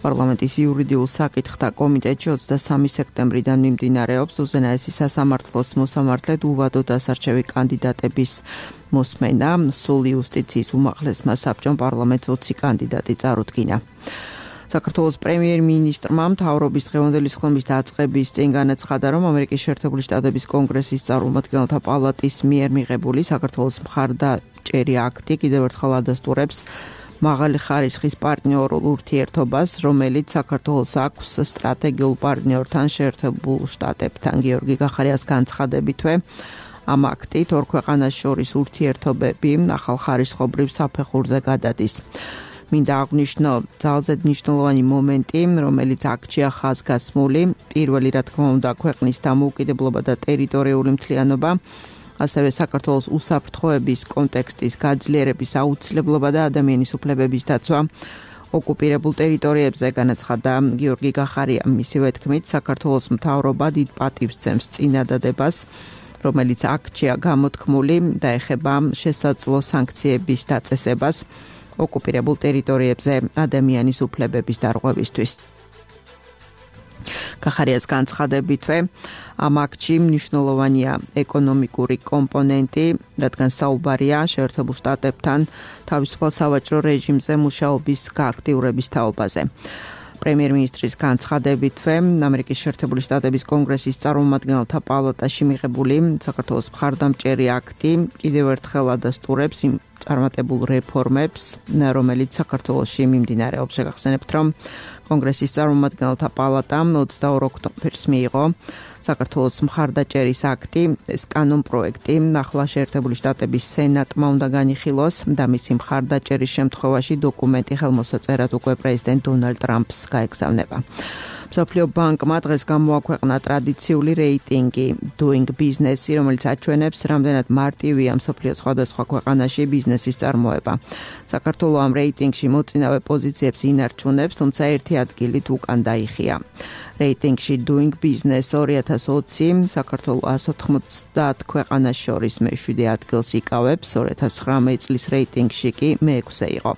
პარლამენტის იურიდიულ საკითხთა კომიტეტში ოცდასამი სექტემბრიდან მიმდინარეობს უზენაესი სასამართლოს მოსამართლედ უვადო დასარჩევი კანდიდატების მოსმენა, სულ იუსტიციის უმაღლესმა საბჭომ პარლამენტს ოცი კანდიდატი წარუდგინა. საქართველოს პრემიერ-მინისტრმა მთავრობის დღევანდელი ხმის დაწყების წინ განაცხადა, რომ ამერიკის შეერთებული შტატების კონგრესის წარმომადგენელთა პალატის მიერ მიღებული საქართველოს მხარდაჭერი აქტი კიდევ ერთხელ ადასტურებს მაღალი ხარისხის პარტნიორულ ურთიერთობას, რომელიც საქართველოს აქვს სტრატეგიულ პარტნიორთან შეერთებულ შტატებთან. გიორგი გახარიას განცხადებითვე ამ აქტით ორ ქვეყანას შორის ურთიერთობები ახალხარისხობრივ საფეხურზე გადადის. მინდა აღვნიშნო ძალზედ მნიშვნელოვანი მომენტი, რომელიც აქჩია ხაზგასმული, პირველი რა თქმა უნდა ქვეყნის დამოუკიდებლობა და ტერიტორიული მთლიანობა, ასევე საქართველოს უსაფრთხოების კონტექსტის გაძლიერების აუცილებლობა და ადამიანის უფლებების დაცვა ოკუპირებულ ტერიტორიებზე განაცხადა გიორგი გახარია. მისივე თქმით, საქართველოს მთავრობა დიდ პატივს ძემს წინადადებას, რომელიც აქჩია გამოთქმული და ეხება შესაძლო სანქციების დაწესებას ოკუპირებულ ტერიტორიებზე ადამიანის უფლებების დარღვევისთვის. გახარიას განცხადებითვე ამ აქტში მნიშვნელოვანია ეკონომიკური კომპონენტი, რადგან საუბარია შეერთებულ შტატებთან თავისუფალ სავაჭრო რეჟიმზე მუშაობის გააქტიურების თაობაზე. პრემიერ-მინისტრის განცხადებითვე ამერიკის შეერთებული შტატების კონგრესის წარმომადგენელთა პალატაში მიღებული საქართველოს მხარდამჭერი აქტი კიდევ ერთხელ ადასტურებს იმ წარმატებულ რეფორმებს, რომელიც საქართველოში მიმდინარეობს. შეგახსენებთ, რომ კონგრესის წარმომადგენელთა პალატამ ოცდაორ ოქტომბერს მიიღო საქართველოს მხარდაჭერის აქტი, ეს კანონპროექტი ახლა შეერთებული შტატების სენატმა უნდა განიხილოს და მისი მხარდაჭერის შემთხვევაში დოკუმენტი ხელმოსაწერად უკვე პრეზიდენტ დონალდ ტრამპს გაეგზავნება. მსოფლიო ბანკმა დღეს გამოაქვეყნა ტრადიციული რეიტინგი Doing Business, რომელიც აჩვენებს, რამდენად მარტივია მსოფლიოს სხვადასხვა ქვეყანაში ბიზნესის წარმოება. საქართველო ამ რეიტინგში მოწინავე პოზიციებს ინარჩუნებს, თუმცა ერთი ადგილით უკან დაიხია. რეიტინგში Doing Business ორი ათას ოცი საქართველო ას ოთხმოცდაათ ქვეყანას შორის მეშვიდე ადგილს იკავებს, ორი ათას ცხრამეტ წლის რეიტინგში კი მეექვსე იყო.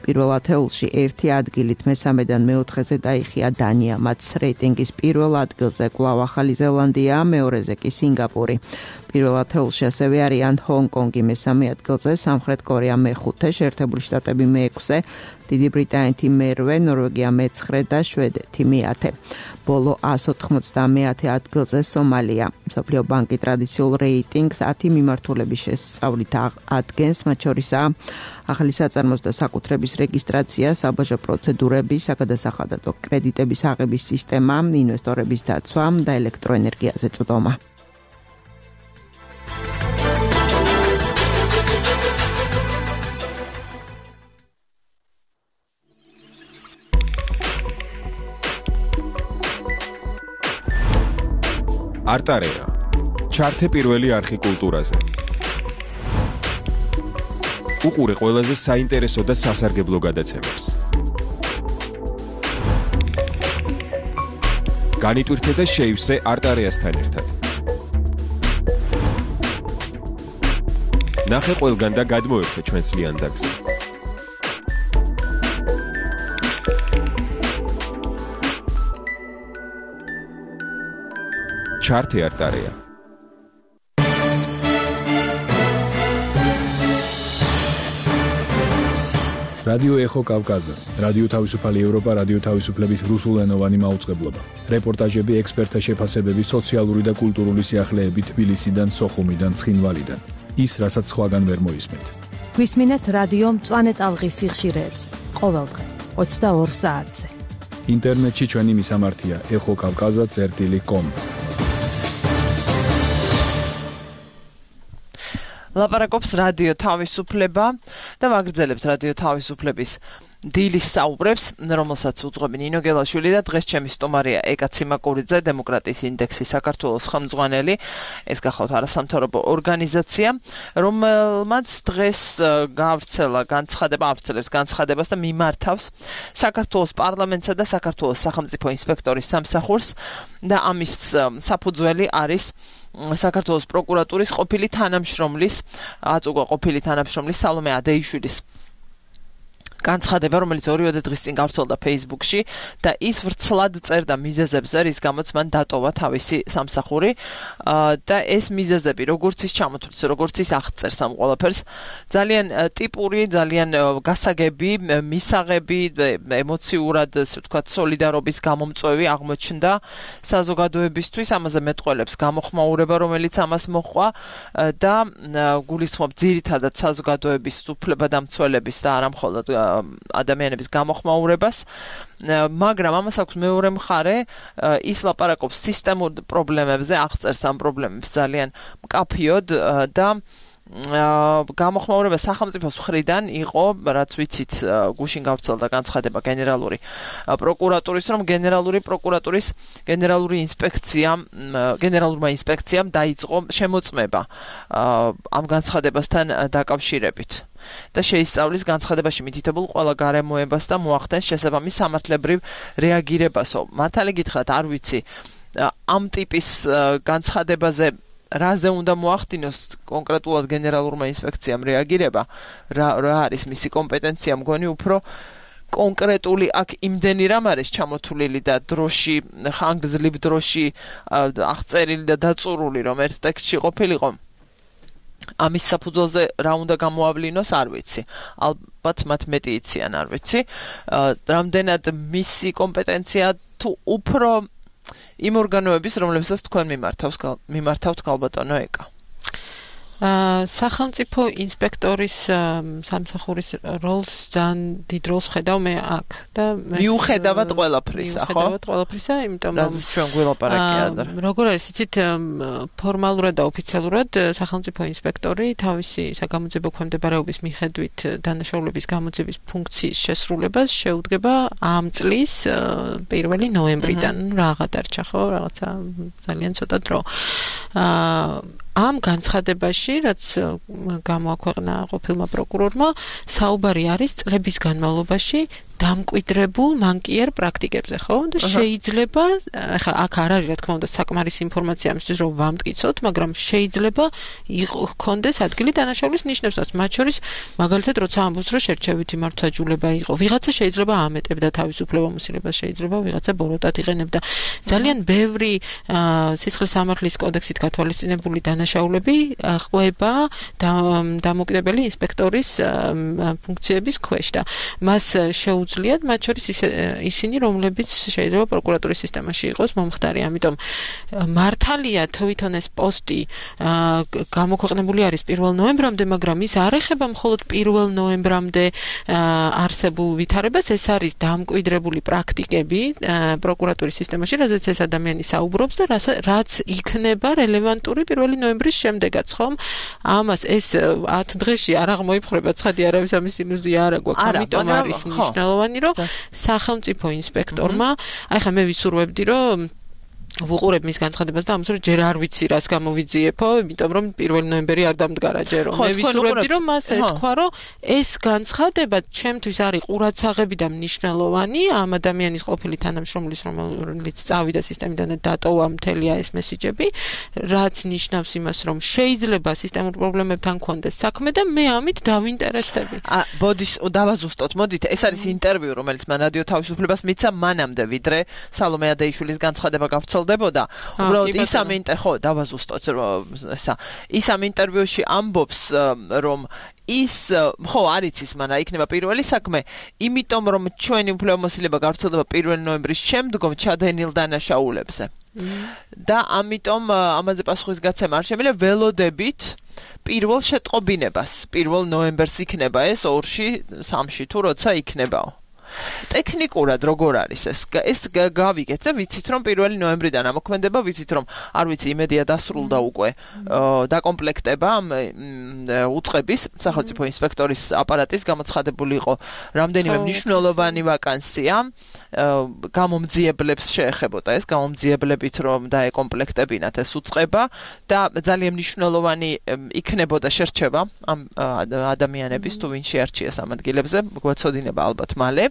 პირველ ათეულში ერთი ადგილით მესამედან მეოთხეზე დაიხია დანია, მათ რეიტინგის პირველ ადგილზე კვლავ ახალი ზელანდია, მეორეზე კი სინგაპური. პირველ ათეულში ასევე არიან ჰონგ-კონგი მესამე ადგილზე, სამხრეთ კორეა მეხუთე, შეერთებული შტატები მეექვსე, დიდი ბრიტანეთი მერვე, ნორვეგია მეცხრე და შვედეთი მეათე. ბოლო ას ოთხმოცდამეათე ადგილზე სომალია. მსოფლიო ბანკი ტრადიციულ რეიტინგს ათი მიმართულების შესწავლით ადგენს, მათ შორისაა ახალი საწარმოს და საკუთრების რეგისტრაცია, საბაჟო პროცედურები, საგადასახადო კრედიტების აღების სისტემა, ინვესტორების დაცვა და ელექტროენერგიაზე წვდომა. არტარეა. ჩართე პირველი არხი კულტურაზე. უყურე ყველაზე საინტერესო და სასარგებლო გადაცემებს. განიტვირთე და შეივსე არტარეასთან ერთად. ნახე ყველგან და გადმოერთე ჩვენს ლიანდაგზე. ჩართეარტარეა. რადიო ეხო კავკაზა, რადიო თავისუფალი ევროპა, რადიო თავისუფლების რუსულენოვანი მაუწყებლობა. რეპორტაჟები, ექსპერტთა შეფასებები, სოციალური და კულტურული სიახლეები თბილისიდან, სოხუმიდან, ცხინვალიდან. ის, რასაც სხვაგან ვერ მოისმენთ. გვისმინეთ რადიო მწვანე ტალღის სიხშირეებს ყოველდღე ოცდაორ საათზე. ინტერნეტში ჩვენი მისამართია ეხო კავკაზა წერტილი კომ. ლაპარაკობს რადიო თავისუფლება და ვაგრძელებთ რადიო თავისუფლების დილის საუბრებს, რომელსაც უძღვები ნინო გელაშვილი და დღეს ჩემი სტუმარია ეკა ციმაკურიძე, დემოკრატიის ინდექსის საქართველოს ხელმძღვანელი. ეს გახლავთ არასამთავრობო ორგანიზაცია, რომელმაც დღეს გაავრცელა განცხადება, ავრცელებს განცხადებას და მიმართავს საქართველოს პარლამენტსა და საქართველოს სახელმწიფო ინსპექტორის სამსახურს და ამის საფუძველი არის საქართველოს პროკურატურის ყოფილი თანამშრომლის, აწუღვა ყოფილი თანამშრომლის სალომე ადეიშვილის განცხადება, რომელიც ორივე დღის წინ გავრცელდა Facebook-ში და ის ვრცლად წერდა მიზეზებზე, რის გამოც მან დატოვა თავისი სამსახური და ეს მიზეზები, როგორც ის ჩამოთვლის, როგორც ის აღწერს ამ ყველაფერს, ძალიან ტიპური, ძალიან გასაგები, მისაღები, ემოციურად, ასე ვთქვათ, სოლიდარობის გამომწვევი აღმოჩნდა საზოგადოებისთვის, ამაზე მეტყველებს გამოხმაურება, რომელიც ამას მოჰყვა და გულისხმობ ძირითადად საზოგადოების უფლებადამცველების და არა მხოლოდ ადამიანების გამოხმაურებას, მაგრამ ამას აქვს მეორე მხარე, ის ლაპარაკობს სისტემურ პრობლემებზე, აღწერს ამ პრობლემებს ძალიან მკაფიოდ და გამოხმაურება სახელმწიფოს მხრიდან იყო, რაც ვიცით, გუშინ გავრცელდა განცხადება გენერალური პროკურატურის, რომ გენერალური პროკურატურის გენერალური ინსპექციამ, გენერალურმა ინსპექციამ დაიწყო შემოწმება ამ განცხადებასთან დაკავშირებით. და შეისწავლის განცხადებაში მითითებულ ყველა გარემოებას და მოახდენს შესაბამის სამართლებრივ რეაგირებასო. მართალი გითხრათ, არ ვიცი, ამ ტიპის განცხადებაზე რაზე უნდა მოახდინოს კონკრეტულად გენერალურმა ინსპექციამ რეაგირება, რა, რა არის მისი კომპეტენცია, მგონი უფრო კონკრეტული აქ იმდენი რამ არის ჩამოთვლილი და დროში, ხანგრძლივ დროში აღწერილი და დაწურული, რომ ერთ ტექსტში ყოფილიყო. ამის საფუძველზე რა უნდა გამოავლინოს, არ ვიცი. ალბათ მათ მეტი იციან, არ ვიცი. რამდენად მისი კომპეტენცია თუ უფრო იმ ორგანოების, რომლებსაც თქვენ მიმართავს, მიმართავთ ქალბატონო ეკა. სახელმწიფო ინსპექტორის სამსახურის როლს ძალიან დიდ როლს ხედავ მე აქ და მიუხედავად ყველაფრისა, ხო? მიუხედავად ყველაფრისა, იმიტომ რომ რაზეც ჩვენ გველაპარაკია და როგორ არის, იცით, ფორმალურად და ოფიციალურად სახელმწიფო ინსპექტორი თავისი საგამოძიებო ქვემდებარეობის მიხედვით დანაშაულების გამოძიების ფუნქციის შესრულებას შეუდგება ამ წლის პირველი ნოემბრიდან. რაღა დარჩა, ხო? რაღაცა ძალიან ცოტა დრო. ამ განცხადებაში, რაც გამოაქვეყნა ყოფილმა პროკურორმა, საუბარი არის წლების განმავლობაში დამკვიდრებულ მანკიერ პრაქტიკებზე, ხო? და შეიძლება, ახლა აქ არ არის, რა თქმა უნდა, საკმარისი ინფორმაცია ამისთვის, რომ ვამტკიცოთ, მაგრამ შეიძლება იქონდეს ადგილი დანაშაულის ნიშნებსაც, მათ შორის, მაგალითად, როცა ამბობს, რომ შერჩევითი მართლმსაჯულება იყო, ვიღაცა შეიძლება ამეტებდა თავისუფლებამოსილებას, შეიძლება ვიღაცა ბოროტად იყენებდა. ძალიან ბევრი სისხლის სამართლის კოდექსით გათვალისწინებული დანაშაულები ყვება დამოუკიდებელი ინსპექტორის ფუნქციების ქვეშ და მას შეუ უძლიათ, მათ შორის ისინი, რომლებიც შეიძლება პროკურატურის სისტემაში იყოს მომხდარი. ამიტომ მართალია თვითონ ეს პოსტი გამოქვეყნებული არის პირველ ნოემბრამდე, მაგრამ ის არ ეხება მხოლოდ პირველ ნოემბრამდე არსებულ ვითარებას, ეს არის დამკვიდრებული პრაქტიკები პროკურატურის სისტემაში, რაზეც ეს ადამიანი საუბრობს და რაც იქნება რელევანტური პირველი ნოემბრის შემდეგაც, ხომ? ამას ეს ათ დღეში არ აღმოიფხრება, ცხადი არავის ამის ილუზია არ აქვს, ამიტომ არის მნიშვნელოვანი რომ სახელმწიფო ინსპექტორმა, აი ხა მე ვისურვებდი რომ ვუყურებ მის განცხადებას და ამას რომ ჯერ არ ვიცი რას გამოვიძიებო, იმიტომ რომ პირველი ნოემბერი არ დამდგარა ჯერო. მე ვისურვებდი რომ მას ეთქვა, რომ ეს განცხადება ჩემთვის არის ყურადსაღები და მნიშვნელოვანი ამ ადამიანის ყოფილი თანამშრომლის, რომელიც წავიდა სისტემიდან და დატოვა მთელი ეს მესიჯები, რაც ნიშნავს იმას, რომ შეიძლება სისტემურ პრობლემებთან კონდეს საქმე და მე ამით დავინტერესდები. ა ბოდიშ დავაზუსტოთ, მოდით, ეს არის ინტერვიუ, რომელიც მან რადიო თავისუფლებას მიცა მანამდე, ვიდრე სალომე ადეიშვილის განცხადება გავრცელდა ვრცელდებოდა. უბრალოდ ის ამ ინტერვიუში ხო დავაზუსტოთ ესა. ის ამ ინტერვიუში ამბობს რომ ის ხო არის ის მან რა იქნება პირველი საქმე, იმიტომ რომ ჩვენი უფლებამოსილება გავრცელდება პირველი ნოემბრის შემდგომ ჩადენილ დანაშაულებზე. და ამიტომ ამაზე პასუხისგაცემა არ შემიძლია ველოდებით პირველ შეტყობინებას. პირველ ნოემბერს იქნება ეს ორში, სამში თუ როცა იქნებაო. ტექნიკურად როგორ არის ეს? ეს გავიგეთ და ვიცით რომ პირველი ნოემბრიდან ამოქმედება, ვიცით რომ არ ვიცი იმედია დასრულდა უკვე დაკომპლექტება უწყების სახელმწიფო ინსპექტორის აპარატის გამოცხადებული იყო რამდენიმე მნიშვნელოვანი ვაკანსია გამომძიებლებს შეეხებოდა ეს გამომძიებლებით რომ დაეკომპლექტებინათ ეს უწყება და ძალიან მნიშვნელოვანი იქნებოდა შერჩევა ამ ადამიანების თუ ვინ შეარჩიეს ამ ადგილებზე გვეცოდინება ალბათ მალე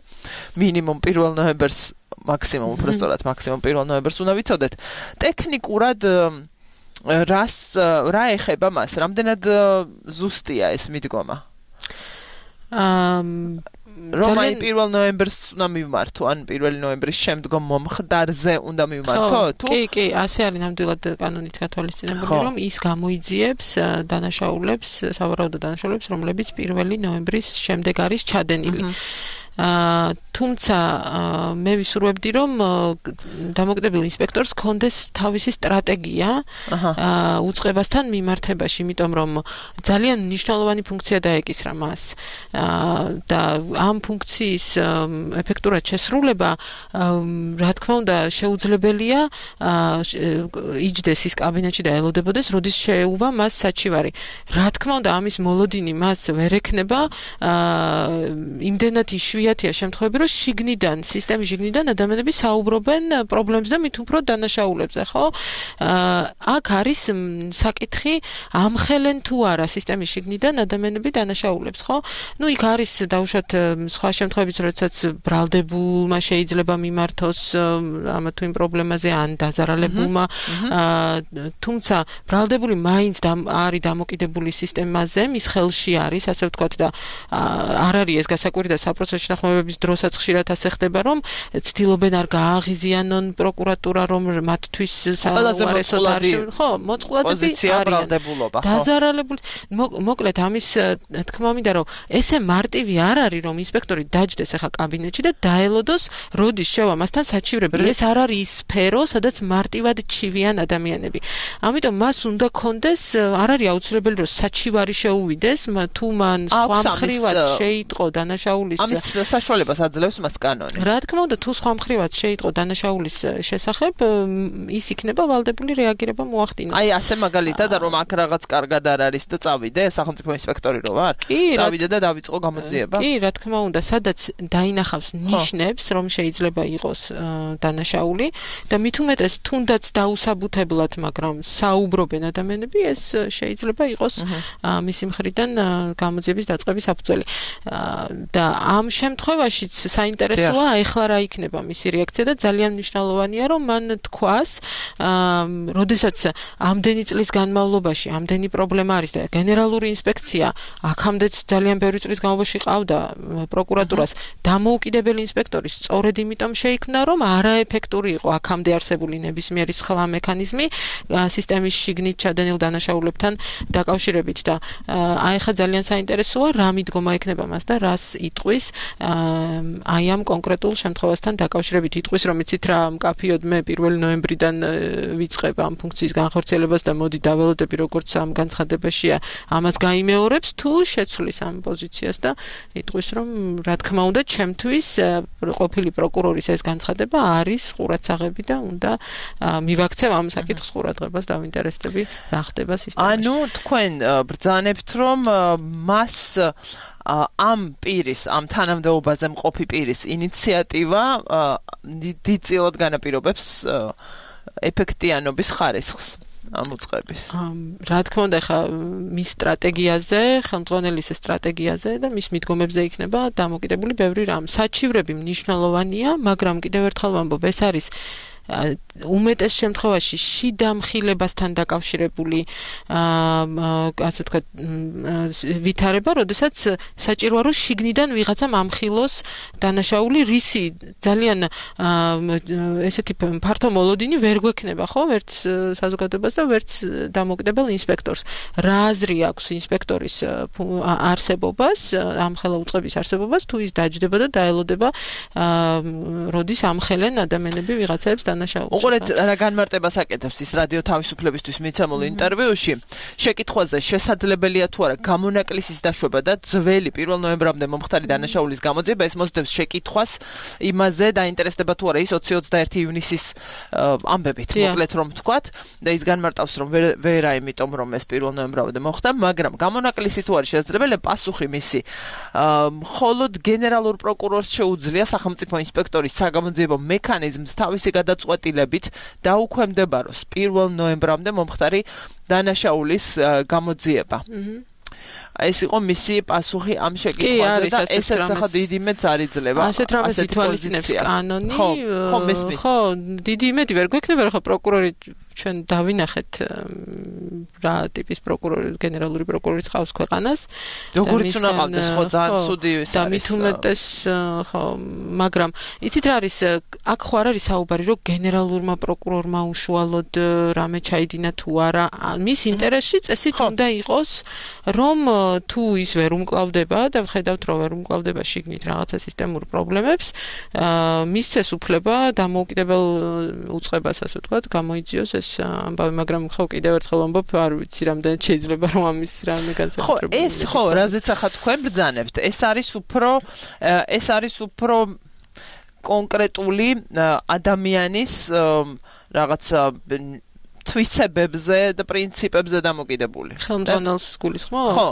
მინიმუმ პირველ ნოემბერს მაქსიმუმ უბრალოდ მაქსიმუმ პირველ ნოემბერს უნდა ვიცოდეთ ტექნიკურად რას რა ეხება მას რამდენად ზუსტია ეს მიდგომა აა რომ აი პირველ ნოემბერს უნდა მივმართო ან პირველი ნოემბრის შემდგომ მომხდარზე უნდა მივმართო თუ კი კი ასე არის ნამდვილად კანონით გათვალისწინებული რომ ის გამოიძიებს დანაშაულებს სავარაუდო დანაშაულებს რომლებიც პირველი ნოემბრის შემდეგ არის ჩადენილი აა თუმცა მე ვისურვებდი რომ დამოკიდებელ ინსპექტორს კონდეს თავისი სტრატეგია აა უწყებასთან მიმართებაში, იმიტომ რომ ძალიან მნიშვნელოვანი ფუნქცია დაეკისრა მას. აა და ამ ფუნქციის ეფექტურად შესრულება რა თქმა უნდა შეუძლებელია იჯდეს ის კაბინეტში და ელოდებოდეს, როდის შეეუვა მას საჩივარი. რა თქმა უნდა ამის მოლოდინი მას ვერ ექნება აა იმდენად იშვიათია შემთხვევები რომ შიგნიდან, სისტემის შიგნიდან ადამიანები საუბრობენ პრობლემებზე და მით უფრო დანაშაულებზე, ხო? აქ არის საკითხი ამხელენ თუ არა სისტემის შიგნიდან ადამიანები დანაშაულებს, ხო? ნუ იქ არის დაუშვათ სხვა შემთხვევებიც, როდესაც ბრალდებულმა შეიძლება მიმართოს ამ თუ იმ პრობლემაზე ან დაზარალებულმა, თუმცა ბრალდებული მაინც არის დამოკიდებული სისტემაზე, მის ხელში არის, ასე ვთქვათ და არ არის ეს გასაკვირი და საპროცესო შეთანხმებების დროსაც ხშირად ასე ხდება, რომ ცდილობენ არ გააღიზიანონ პროკურატურა, რომ მათთვის საუარესოდ არის, ხო, მოწყვლადები არიან. დაზარალებული, მოკლედ ამის თქმა მინდა, რომ ესე მარტივი არ არის, რომ ინსპექტორი დაჯდეს ახლა კაბინეტში და დაელოდოს, როდის შევა მასთან საჩივრები. ეს არ არის ის სფერო, სადაც მარტივად ჩივიან ადამიანები. ამიტომ მას უნდა კონდეს, არ არის აუცილებელი, რომ საჩივარი შეუვიდეს, თუ მან სხვა მხრივად შეიტყო დანაშაულის ამის საშუალებას აძლევს მას კანონი. რა თქმა უნდა, თუ სხვა მხრივად შეიტყო დანაშაულის შესახებ, ის იქნება ვალდებული რეაგირება მოახდინოს. აი, ასე მაგალითად, რომ აქ რაღაც კარგად არ არის და წავიდე სახელმწიფო ინსპექტორი რო ვარ? წავიდე და დავიწყო გამოძიება. კი, რა თქმა უნდა, სადაც დაინახავს ნიშნებს, რომ შეიძლება იყოს დანაშაული და მით უმეტეს თუნდაც დაუსაბუთებლად, მაგრამ საუბრობენ ადამიანები, ეს შეიძლება იყოს მისი მხრიდან გამოძიების დაწყების საფუძველი. და ამ შემთხვევაშიც საინტერესოა ეხლა რა იქნება მისი რეაქცია და ძალიან მნიშვნელოვანია რომ მან თქვას როდესაც ამდენი წლის განმავლობაში ამდენი პრობლემა არის და გენერალური ინსპექცია აქამდეც ძალიან ბევრი წლის განმავლობაში ყავდა პროკურატურას დამოუკიდებელი ინსპექტორის სწორედ იმიტომ შეიქმნა რომ არაეფექტური იყო აქამდე არსებული ნებისმიერი სხვა მექანიზმი სისტემის შიგნით ჩადენილ დანაშაულებთან დაკავშირებით და აი ხა ძალიან საინტერესოა რა მიდგომა ექნება მას და რას იტყვის აი ამ კონკრეტულ შემთხვევასთან დაკავშირებით იტყვის რომ იცით რა მკაფიოდ მე პირველი ნოემბრიდან ვიწყებ ამ ფუნქციის განხორციელებას და მოდი დაველოდები როგორც ამ განცხადებაშია ამას გაიმეორებს თუ შეცვლის ამ პოზიციას და იტყვის რომ რა თქმა უნდა ჩემთვის ყოფილი პროკურორის ეს განცხადება არის ყურადსაღები და უნდა მივაქცევ ამ საკითხს ყურადღებას დავინტერესდები რა ხდება სისტემაში. ანუ თქვენ ბრძანებთ რომ მას ამ პირის, ამ თანამდებობაზე მყოფი პირის ინიციატივა დიდწილად განაპირობებს ეფექტიანობის ხარისხს ამ უწყების. რა თქმა უნდა, ხა მის სტრატეგიაზე, ხელმძღვანელის სტრატეგიაზე და მის მიდგომებზე იქნება დამოკიდებული ბევრი რამ. საჩივრები მნიშვნელოვანია, მაგრამ კიდევ ერთხელ ვამბობ, ეს არის უმეტეს შემთხვევაში შიდა მხილებასთან დაკავშირებული ასე ვთქვათ ვითარება, როდესაც საჭიროა რომ შიგნიდან ვიღაცამ ამხილოს დანაშაული რისი ძალიან ესეთი ფართო მოლოდინი ვერ გვექნება, ხო, ვერც საზოგადოებას და ვერც დამოუკიდებელ ინსპექტორს. რა აზრი აქვს ინსპექტორის არსებობას, ამხელა უწყების არსებობას, თუ ის დაჯდება და დაელოდება როდის ამხელენ ადამიანები ვიღაცებს დანაშაულს. უყურეთ რა განმარტებას აკეთებს ის რადიო თავისუფლებისთვის მიცემულ ინტერვიუში. შეკითხვაზე შესაძლებელია თუ არა გამონაკლისის დაშვება და ძველი პირველ ნოემბრამდე მომხდარი დანაშაულის გამოძიება, ეს მოსდევს შეკითხვას იმაზე დაინტერესდება თუ არა ის ოცი ოცდაერთი ივნისის ამბებით, მოკლედ რომ ვთქვათ, და ის განმარტავს რომ ვერა იმიტომ რომ ეს პირველ ნოემბრამდე მოხდა, მაგრამ გამონაკლისი თუ არის შესაძლებელი, პასუხი მისი მხოლოდ გენერალურ პროკურორს შეუძლია სახელმწიფო ინსპექტორის საგამოძიებო მექანიზმს თავისი გადაწყვეტილებით დაუქვემდებაროს პირველ ნოემბრამდე მომხდარი დანაშაულის გამოძიება. ეს იყო მისი პასუხი ამ შეკითხვაზე და ესეც ახლა დიდი იმედს არ იძლევა. ასეთ რამეს ითვალისწინებს კანონი. ხო, ხო, მესმის. ხო, დიდი იმედი ვერ გვექნება, რომ ხო პროკურორი ჩვენ დავინახეთ რა ტიპის პროკურორი, გენერალური პროკურორი ხავს ქვეყანას. როგორიც უნდა ყავდეს, ხო, ძალიან ცუდი ის არის. და მით უმეტეს, ხო, მაგრამ იცით რა არის, აქ ხო არ არის საუბარი, რომ გენერალურმა პროკურორმა უშუალოდ რამე ჩაიდინა თუ არა. მის ინტერესში წესით უნდა იყოს, რომ თუ ის ვერ უმკლავდება და ვხედავთ რომ ვერ უმკლავდება შიგნით რაღაცა სისტემურ პრობლემებს, მისცეს უფლება დამოუკიდებელ უწყებას, ასე ვთქვათ, გამოიძიოს ეს ამბავი, მაგრამ ხო კიდევ ერთხელ ვამბობ, არ ვიცი რამდენად შეიძლება რომ ამის რამე განსაკუთრებული. ხო, ეს ხო, რაზეც ახლა თქვენ ბრძანებთ, ეს არის უფრო ეს არის უფრო კონკრეტული ადამიანის რაღაცა თვისებებზე და პრინციპებზე დამოკიდებული. ხელმძღვანელს გულისხმობთ? ხო.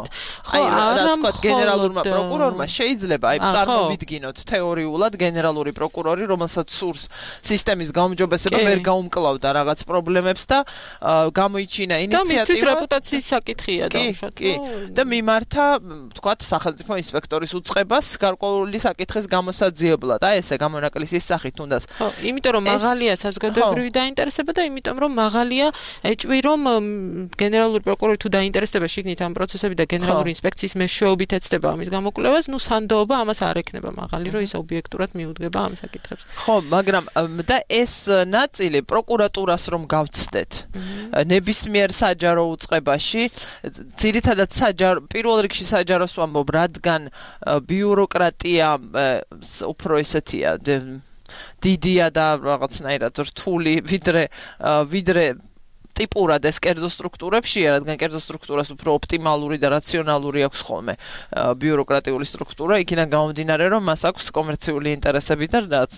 აი, რა თქვა გენერალურმა პროკურორმა შეიძლება აი წარმოვიდგინოთ თეორიულად გენერალური პროკურორი, რომელსაც სურს სისტემის გაუმჯობესება, ვერ გაუმკლავდა რაღაც პრობლემებს და გამოიჩინა ინიციატივა. და მისთვის რეპუტაციის საკითხია დაუშვათ. კი, და მიმართა, თქვათ, სახელმწიფო ინსპექტორის უწყებას გარკვეული საკითხის გამოსაძიებლად. აი ესე გამონაკლისის სახით თუნდაც. ხო, იმიტომ რომ მაღალია საზოგადოებრივი დაინტერესება და იმიტომ რომ მაღალია ეჭვი რომ გენერალური პროკურორი თუ დაინტერესდება შიგნით ამ პროცესები და გენერალური ინსპექციის მეშვეობით ეცდება ამის გამოკვლევას, ნუ სანდოობა ამას არ ექნება მაღალი, რომ ის ობიექტურად მიუდგება ამ საკითხებს. ხო, მაგრამ და ეს ნაწილი პროკურატურას რომ გავცდეთ ნებისმიერ საჯარო უწყებაში, ძირითადად საჯარო პირველ რიგში საჯაროს ვამბობ, რადგან ბიუროკრატია უფრო ესეთია დიდია და რაღაცნაირად რთული, ვიდრე ვიდრე ტიპურად ეს კერძო სტრუქტურებშია, რადგან კერძო სტრუქტურას უფრო ოპტიმალური და რაციონალური აქვს ხოლმე ბიუროკრატიული სტრუქტურა, იქიდან გამომდინარე, რომ მას აქვს კომერციული ინტერესები და რაც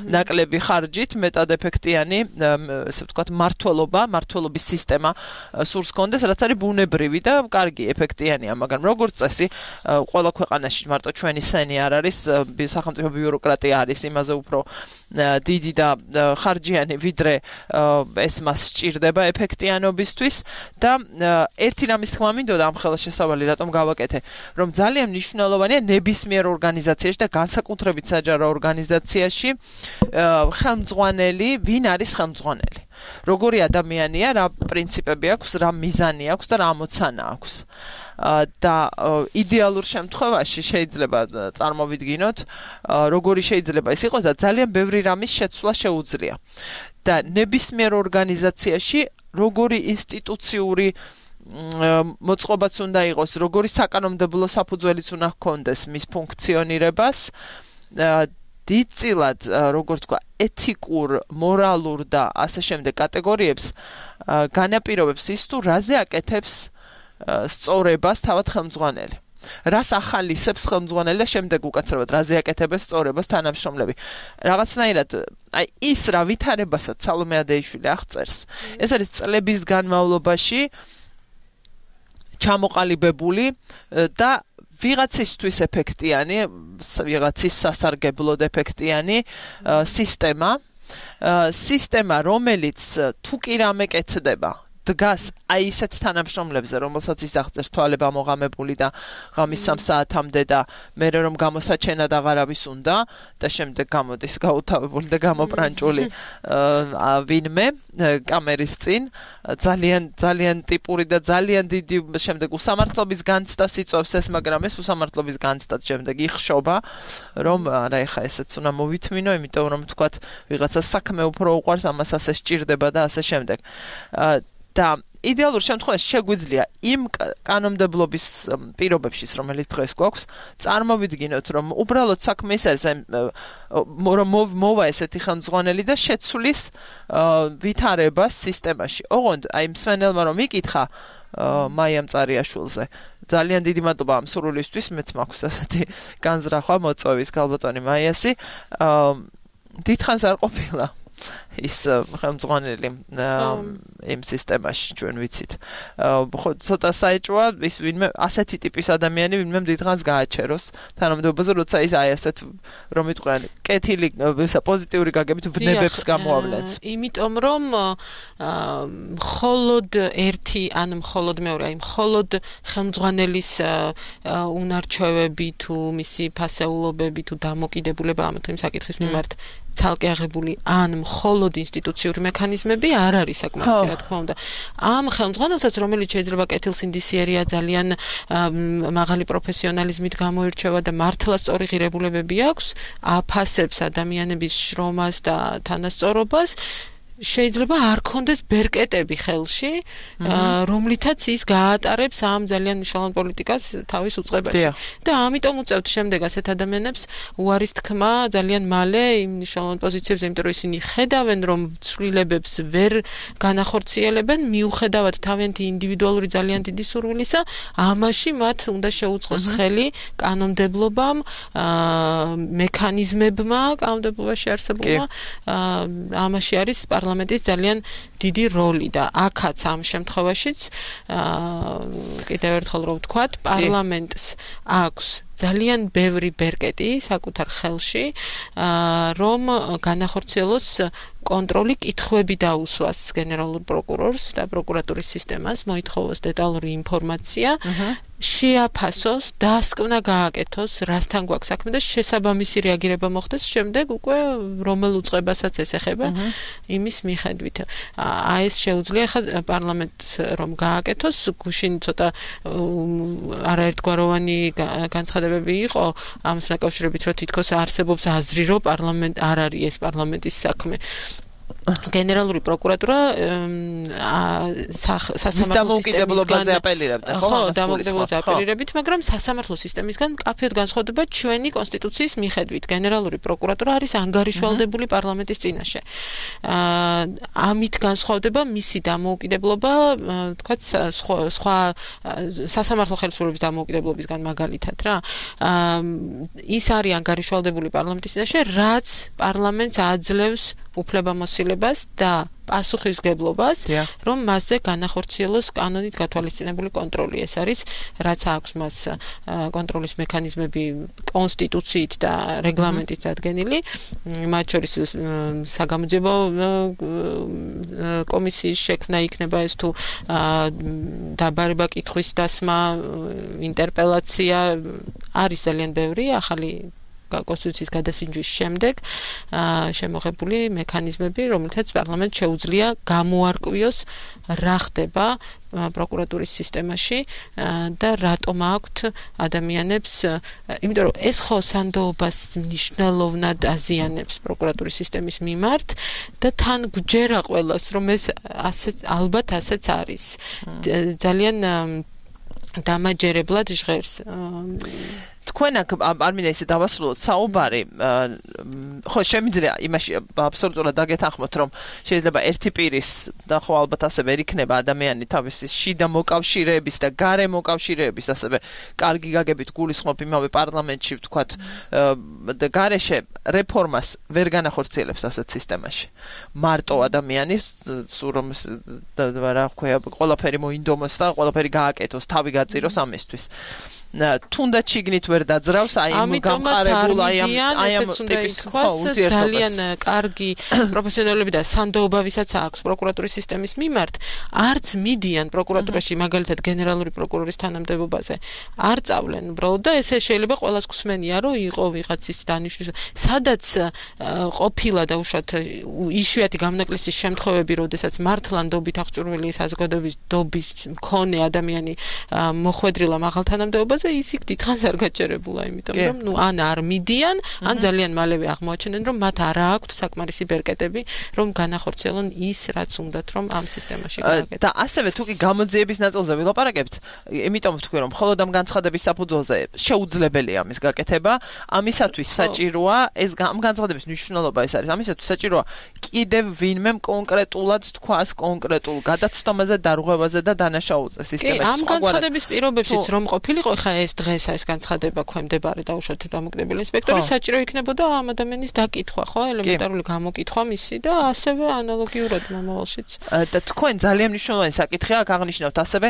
ნაკლები ხარჯით მეტად ეფექტიანი, ესე ვთქვათ, მართლობა, მართლობის სისტემა სურს კონდეს, რაც არის ბუნებრივი და კარგი, ეფექტიანია, მაგრამ როგორც წესი, ყველა ქვეყანაში მარტო ჩვენი სენი არ არის, სახელმწიფო ბიუროკრატია არის იმაზე უფრო დიდი და ხარჯიანი, ვიდრე ეს მას სჭირდება ეფექტიანობისთვის და ერთი რამის თქმა მინდოდა ამ ხელა შესავალი რატომ გავაკეთე, რომ ძალიან მნიშვნელოვანია ნებისმიერ ორგანიზაციაში და განსაკუთრებით საჯარო ორგანიზაციაში ხელმძღვანელი, ვინ არის ხელმძღვანელი. როგორი ადამიანია, რა პრინციპები აქვს, რა მიზანი აქვს და რა ამოცანა აქვს. და იდეალურ შემთხვევაში შეიძლება წარმოვიდგინოთ, როგორი შეიძლება ის იყოს და ძალიან ბევრი რამის შეცვლა შეუძლია. და ნებისმიერ ორგანიზაციაში როგორი ინსტიტუციური მოწყობაც უნდა იყოს, როგორი საკანონმდებლო საფუძველიც უნდა ჰქონდეს მის ფუნქციონირებას, დიდწილად, როგორ თქვა, ეთიკურ, მორალურ და ასე შემდეგ კატეგორიებს განაპირობებს ის თუ რაზე აკეთებს სწორებას თავად ხელმძღვანელი. რას ახალისებს ხელმძღვანელი და შემდეგ უკაცრავად რაზე აკეთებს სწორებას თანამშრომლები. რაღაცნაირად, აი ის რა ვითარებასაც სალომე ადეიშვილი აღწერს, ეს არის წლების განმავლობაში ჩამოყალიბებული და ვიღაცისთვის ეფექტიანი, ვიღაცის სასარგებლოდ ეფექტიანი სისტემა, სისტემა, რომელიც თუ კი რამე კეთდება დგას აი ისეთ თანამშრომლებზე, რომელსაც ისახწევს თვალება მოღამებული და ღამის სამ საათამდე და მე რომ გამოსაჩენად აღარავის უნდა და შემდეგ გამოდის გაუთავებული და გამოპრანჭული ვინმე კამერის წინ ძალიან ძალიან ტიპური და ძალიან დიდი შემდეგ უსამართლობის განცდას იწვევს ეს, მაგრამ ეს უსამართლობის განცდაც შემდეგ იხშობა, რომ არა ეხა ესეც უნდა მოვითმინო, იმიტომ რომ თქვათ ვიღაცას საქმე უფრო უყვარს, ამას ასე სჭირდება და ასე შემდეგ. და იდეალურ შემთხვევაში შეგვიძლია იმ კანონმდებლობის პირობებში, რომელიც დღეს გვაქვს, წარმოვიდგინოთ, რომ უბრალოდ საქმე ის არის, რომ მოვა ესეთი ხელმძღვანელი და შეცვლის ვითარებას სისტემაში. ოღონდ აი მსვენელმა რომ იკითხა მაიამ წარიაშვილზე. ძალიან დიდი მადლობა ამ სურვილისთვის, მეც მაქვს ასეთი განზრახვა მოწვევის ქალბატონი მაიასი. დიდხანს არ ყოფილა ის ხელმძღვანელი იმ სისტემაში ჩვენ ვიცით. ხო ცოტა საეჭვოა ის ვინმე ასეთი ტიპის ადამიანი ვინმე დიდხანს გააჩეროს თანამდებობაზე, როცა ის აი ასეთ რომ იტყვიან კეთილი პოზიტიური გაგებით ვნებებს გამოავლენს. იმიტომ რომ მხოლოდ ერთი ან მხოლოდ მეორე, აი მხოლოდ ხელმძღვანელის უნარჩვევები თუ მისი ფასეულობები თუ დამოკიდებულება ამ თუ იმ საკითხის მიმართ ცალკე აღებული ან მხოლოდ ინსტიტუციური მექანიზმები არ არის საკმარისი, რა თქმა უნდა. ამ ხელმძღვანელსაც, რომელიც შეიძლება კეთილსინდისიერია, ძალიან მაღალი პროფესიონალიზმით გამოირჩევა და მართლა სწორი ღირებულებები აქვს, აფასებს ადამიანების შრომას და თანასწორობას, შეიძლება არ კონდეს ბერკეტები ხელში, რომლითაც ის გაატარებს ამ ძალიან მნიშვნელოვან პოლიტიკას თავის უწყებაში. და ამიტომ უწევთ შემდეგ ასეთ ადამიანებს უარის თქმა ძალიან მალე იმ მნიშვნელოვან პოზიციებზე, იმიტომ რომ ისინი ხედავენ, რომ ცვლილებებს ვერ განახორციელებენ, მიუხედავად თავიანთი ინდივიდუალური ძალიან დიდი სურვილისა, ამაში მათ უნდა შეუწყოს ხელი კანონმდებლობამ, მექანიზმებმა კანონმდებლობაში არსებულმა, ამაში არის პარლამენტის ძალიან დიდი როლი და აქაც ამ შემთხვევაშიც კიდევ ერთხელ რომ ვთქვათ, პარლამენტს აქვს ძალიან ბევრი ბერკეტი საკუთარ ხელში, რომ განახორციელოს კონტროლი, კითხვები დაუსვას გენერალურ პროკურორს და პროკურატურის სისტემას, მოითხოვოს დეტალური ინფორმაცია, შეაფასოს, დასკვნა გააკეთოს, რასთან გვაქვს საქმე და შესაბამისი რეაგირება მოხდეს შემდეგ უკვე რომელ უწყებასაც ეს ეხება იმის მიხედვით. აი ეს შეუძლია ხა პარლამენტს რომ გააკეთოს, გუშინ ცოტა არაერთგვაროვანი განცხადებები იყო ამას დაკავშირებით, რომ თითქოს არსებობს აზრი, რომ პარლამენტ არ არის ეს პარლამენტის საქმე. გენერალური პროკურატურა სასამართლო დამოუკიდებლობაზე აპელირებდა, ხო? ხო, დამოუკიდებლობაზე აპელირებით, მაგრამ სასამართლო სისტემისგან მკაფიოდ განსხვავდება ჩვენი კონსტიტუციის მიხედვით. გენერალური პროკურატურა არის ანგარიშვალდებული პარლამენტის წინაშე. ამით განსხვავდება მისი დამოუკიდებლობა, თქვათ, სხვა სასამართლო ხელისუფლების დამოუკიდებლობისგან მაგალითად რა. ის არის ანგარიშვალდებული პარლამენტის წინაშე, რაც პარლამენტს აძლევს უფლებამოსილებას და პასუხისმგებლობას, რომ მასზე განახორციელოს კანონით გათვალისწინებული კონტროლი. ეს არის, რაც აქვს მას კონტროლის მექანიზმები კონსტიტუციით და რეგლამენტით დადგენილი, მათ შორის საგამოძიებო კომისიის შექმნა იქნება ეს თუ დაბარება კითხვის დასმა, ინტერპელაცია, არის ძალიან ბევრი ახალი კონსტიტუციის გადასინჯვის შემდეგ შემოღებული მექანიზმები, რომელთაც პარლამენტს შეუძლია გამოარკვიოს რა ხდება პროკურატურის სისტემაში და რატომ აქვთ ადამიანებს, იმიტომ რომ ეს ხო სანდოობას მნიშვნელოვნად აზიანებს პროკურატურის სისტემის მიმართ და თან გვჯერა ყველას, რომ ეს ასე ალბათ ასეც არის. ძალიან დამაჯერებლად ჟღერს. თქვენ აქ არ მინდა ისე დავასრულოთ საუბარი, ხო შემიძლია იმაში აბსოლუტურად დაგეთანხმოთ, რომ შეიძლება ერთი პირის და ხო ალბათ ასე ვერ იქნება ადამიანი თავისი შიდა მოკავშირეების და გარე მოკავშირეების ასევე კარგი გაგებით გულისხმობ იმავე პარლამენტში, ვთქვათ, და გარეშე რეფორმას ვერ განახორციელებს ასეთ სისტემაში. მარტო ადამიანის სულ რომ რა ქვია, ყველაფერი მოინდომოს და ყველაფერი გააკეთოს, თავი გაწიროს ამისთვის. თუნდაც შიგნით ვერ დაძრავს აი ამ გამყარებულ აი ამ აი ამ ტიპის ძალიან კარგი პროფესიონალები და სანდოობა ვისაც აქვს პროკურატურის სისტემის მიმართ არც მიდიან პროკურატურაში მაგალითად გენერალური პროკურორის თანამდებობაზე არ წავლენ უბრალოდ და ესე შეიძლება ყველას გსმენია რომ იყო ვიღაცის დანიშვნის სადაც ყოფილა და უშუალოდ იშვიათი გამნაკლისის შემთხვევები როდესაც მართლანდობით აღჭურვილი საზოგადოების დობის მქონე ადამიანი მოხვედრილა მაღალ თანამდებობაზე ის იქ დიდხანს არ გაჩერებულა იმიტომ რომ ნუ ან არ მიდიან ან ძალიან მალევე აღმოაჩენენ რომ მათ არ აქვთ საკმარისი ბერკეტები რომ განახორციელონ ის რაც უნდათ რომ ამ სისტემაში გააკეთონ და ასევე თუ კი გამოძიების ნაწილზე ვილაპარაკებთ იმიტომ ვთქვი რომ მხოლოდ ამ განცხადების საფუძველზე შეუძლებელია ამის გაკეთება ამისათვის საჭიროა ეს ამ განცხადების მნიშვნელობა ეს არის ამისათვის საჭიროა კიდევ ვინმე კონკრეტულად თქვას კონკრეტულ გადაცდომაზე დარღვევაზე და დანაშაულზე სისტემაში ამ განცხადების პირობებშიც რომ ყოფილიყო ხა ეს დღეს ეს განცხადება ქვემდებარე და უშუალოდ დამოკიდებელი ინსპექტორის საჭირო იქნებოდა ამ ადამიანის დაკითხვა ხო ელემენტარული გამოკითხვა მისი და ასევე ანალოგიურად მომავალშიც და თქვენ ძალიან მნიშვნელოვანი საკითხია აღნიშნავთ ასევე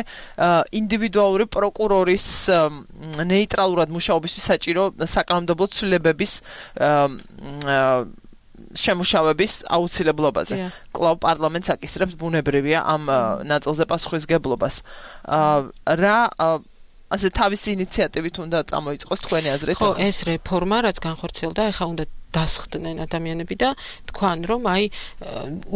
ინდივიდუალური პროკურორის ნეიტრალურად მუშაობისთვის საჭირო საკანონმდებლო ცვლილებების შემუშავების აუცილებლობაზე. კლავ პარლამენტს აკისრებს ბუნებრივია ამ ნაწილზე პასუხისგებლობას. რა ასე თავისი ინიციატივით უნდა წამოიწყოს თქვენი აზრით? ხო, ეს რეფორმა რაც განხორციელდა, ეხლა უნდა დასხდნენ ადამიანები და თქვან რომ აი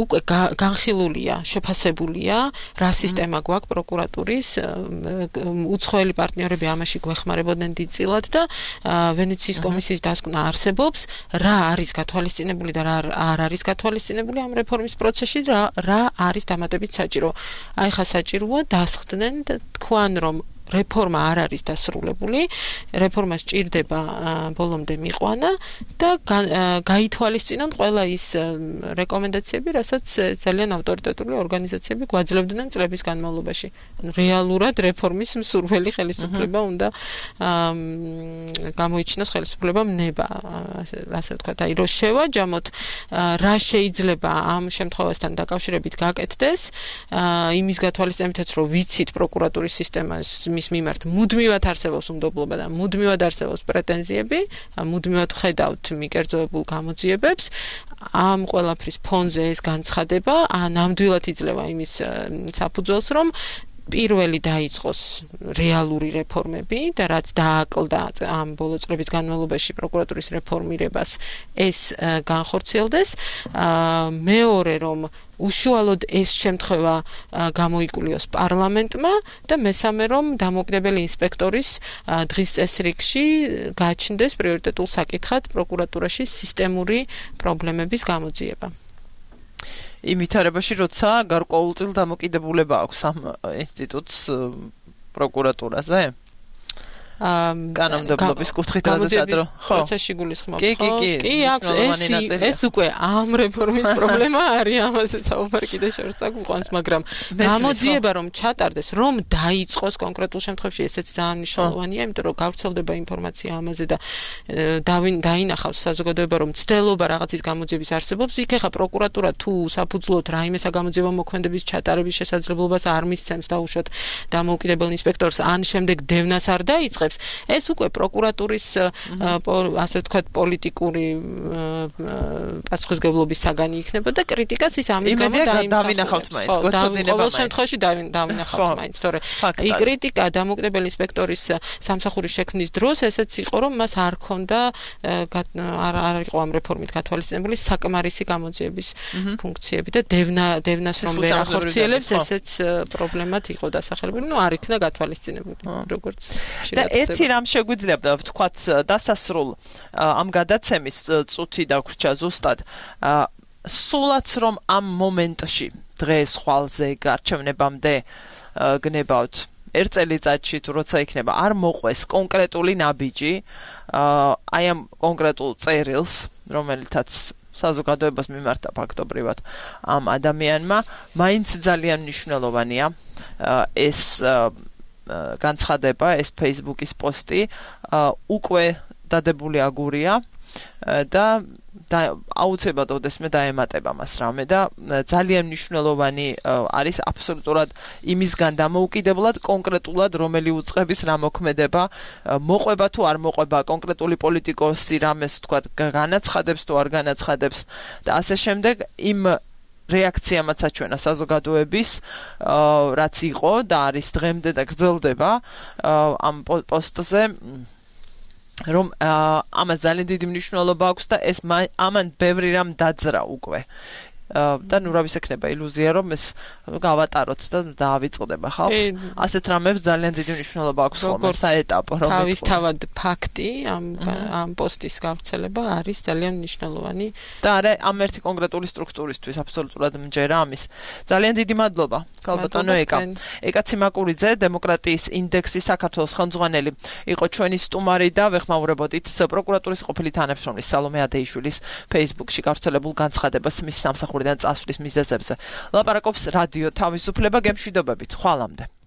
უკვე განხილულია, შეფასებულია რა სისტემა გვაქვს პროკურატურის უცხოელი პარტნიორები ამაში გვეხმარებოდნენ დიდწილად და ვენეციის კომისიის დასკვნა არსებობს რა არის გათვალისწინებული და რა არ არის გათვალისწინებული ამ რეფორმის პროცესში რა რა არის დამატებით საჭირო. აი ხა საჭიროა დასხდნენ და თქვან რომ რეფორმა არ არის დასრულებული, რეფორმა სჭირდება ბოლომდე მიყვანა და გაითვალისწინონ ყველა ის რეკომენდაციები, რასაც ძალიან ავტორიტეტული ორგანიზაციები გვაძლევდნენ წლების განმავლობაში. რეალურად რეფორმის მსურველი ხელისუფლება უნდა გამოიჩინოს ხელისუფლება ნება, ასე ვთქვათ, აი რო შევაჯამოთ რა შეიძლება ამ შემთხვევასთან დაკავშირებით გაკეთდეს, იმის გათვალისწინებითაც რომ ვიცით პროკურატურის სისტემას მის მიმართ მუდმივად არსებობს უნდობლობა და მუდმივად არსებობს პრეტენზიები, მუდმივად ხედავთ მიკერძოებულ გამოძიებებს, ამ ყველაფრის ფონზე ეს განცხადება ნამდვილად იძლევა იმის საფუძველს, რომ პირველი დაიწყოს რეალური რეფორმები და რაც დააკლდა ამ ბოლო წლების განმავლობაში პროკურატურის რეფორმირებას ეს განხორციელდეს. მეორე რომ უშუალოდ ეს შემთხვევა გამოიკულიოს პარლამენტმა და მესამე რომ დამოუკიდებელი ინსპექტორის დღის წესრიგში გააჩნდეს პრიორიტეტულ საკითხად პროკურატურაში სისტემური პრობლემების გამოძიება. იმ ვითარებაში როცა გარკვეულწილ დამოკიდებულება აქვს ამ ინსტიტუტს პროკურატურაზე? კანონმდებლობის კუთხით გადაზადრო. პროცესში გულისხმობ. კი, კი, კი. კი, აქვს ეს ეს უკვე ამ რეფორმის პრობლემა არის, ამაზე საუბარი კიდე შორს აგვიყვანს, მაგრამ გამოძიება რომ ჩატარდეს, რომ დაიწყოს კონკრეტულ შემთხვევაში, ესეც ძალიან მნიშვნელოვანია, იმიტომ რომ გავრცელდება ინფორმაცია ამაზე და დაინახავს საზოგადოება, რომ ცდელობა რაღაცის გამოძიების არსებობს, იქ ახლა პროკურატურა თუ საფუძვლოდ რაიმესა გამოძიება მოქმედების ჩატარების შესაძლებლობას არ მისცემს და უშუალოდ დამოუკიდებელ ინსპექტორს ან შემდეგ დევნას არ დაიწყებს. ეს უკვე პროკურატურის ასე ვთქვათ პოლიტიკური პასუხისგებლობის საგანი იქნება და კრიტიკას ის ამის გამო დავინახავთ მაინც გოცოდინება ყოველ შემთხვევაში დავინახავთ მაინც თორე η კრიტიკა დამოუკიდებელი ინსპექტორის სამსახურის შექმნის დროს ესეც იყო რომ მას არ ქონდა არ იყო ამ რეფორმით გათვალისწინებული საკმარისი გამოძიების ფუნქციები და დევნა დევნას რომ ვერ ახორციელებს ესეც პრობლემად იყო დასახელებული ნუ არ იქნა გათვალისწინებული როგორც ერთი რამ შეგვიძლია ვთქვათ დასასრულ ამ გადაცემის წუთი დაგვრჩა ზუსტად სულაც რომ ამ მომენტში დღეს ხვალზე გარჩევნებამდე გნებავთ ერთ წელიწადში თუ როცა იქნება არ მოყვეს კონკრეტული ნაბიჯი აი ამ კონკრეტულ წერილს რომელთაც საზოგადოებას მიმართა ფაქტობრივად ამ ადამიანმა მაინც ძალიან მნიშვნელოვანია ეს განცხადება ეს Facebook-ის პოსტი უკვე დადებული აგურია და და აუცილებლად ოდესმე დაემატება მას რამე და ძალიან მნიშვნელოვანი არის აბსოლუტურად იმისგან დამოუკიდებლად კონკრეტულად რომელი უწყების რა მოქმედება მოყვება თუ არ მოყვება კონკრეტული პოლიტიკოსი რამეს თქვა განაცხადებს თუ არ განაცხადებს და ასე შემდეგ იმ რეაქციამაც აჩვენა საზოგადოების რაც იყო და არის დღემდე და გრძელდება ამ პოსტზე რომ ამას ძალიან დიდი მნიშვნელობა აქვს და ეს ამან ბევრი რამ დაძრა უკვე და ნუ რა ვისექნება ილუზია რომ ეს გავატაროთ და დაავიწყდება ხალხს ასეთ რამებს ძალიან დიდი მნიშვნელობა აქვს ხოლმე საეტაპო რომ თავისთავად ფაქტი ამ ამ პოსტის გავრცელება არის ძალიან მნიშვნელოვანი და არა ამ ერთი კონკრეტული სტრუქტურისთვის აბსოლუტურად მჯერა ამის ძალიან დიდი მადლობა ქალბატონო ეკა ეკა ციმაკურიძე დემოკრატიის ინდექსის საქართველოს ხელმძღვანელი იყო ჩვენი სტუმარი და ვეხმაურებოდით პროკურატურის ყოფილი თანამშრომლის სალომე ადეიშვილის Facebook-ში გავრცელებულ განცხადებას მის სამსახურიდან წასვლის მიზეზებზე. ლაპარაკობს რადიო თავისუფლება გემშვიდობებით. ხვალამდე.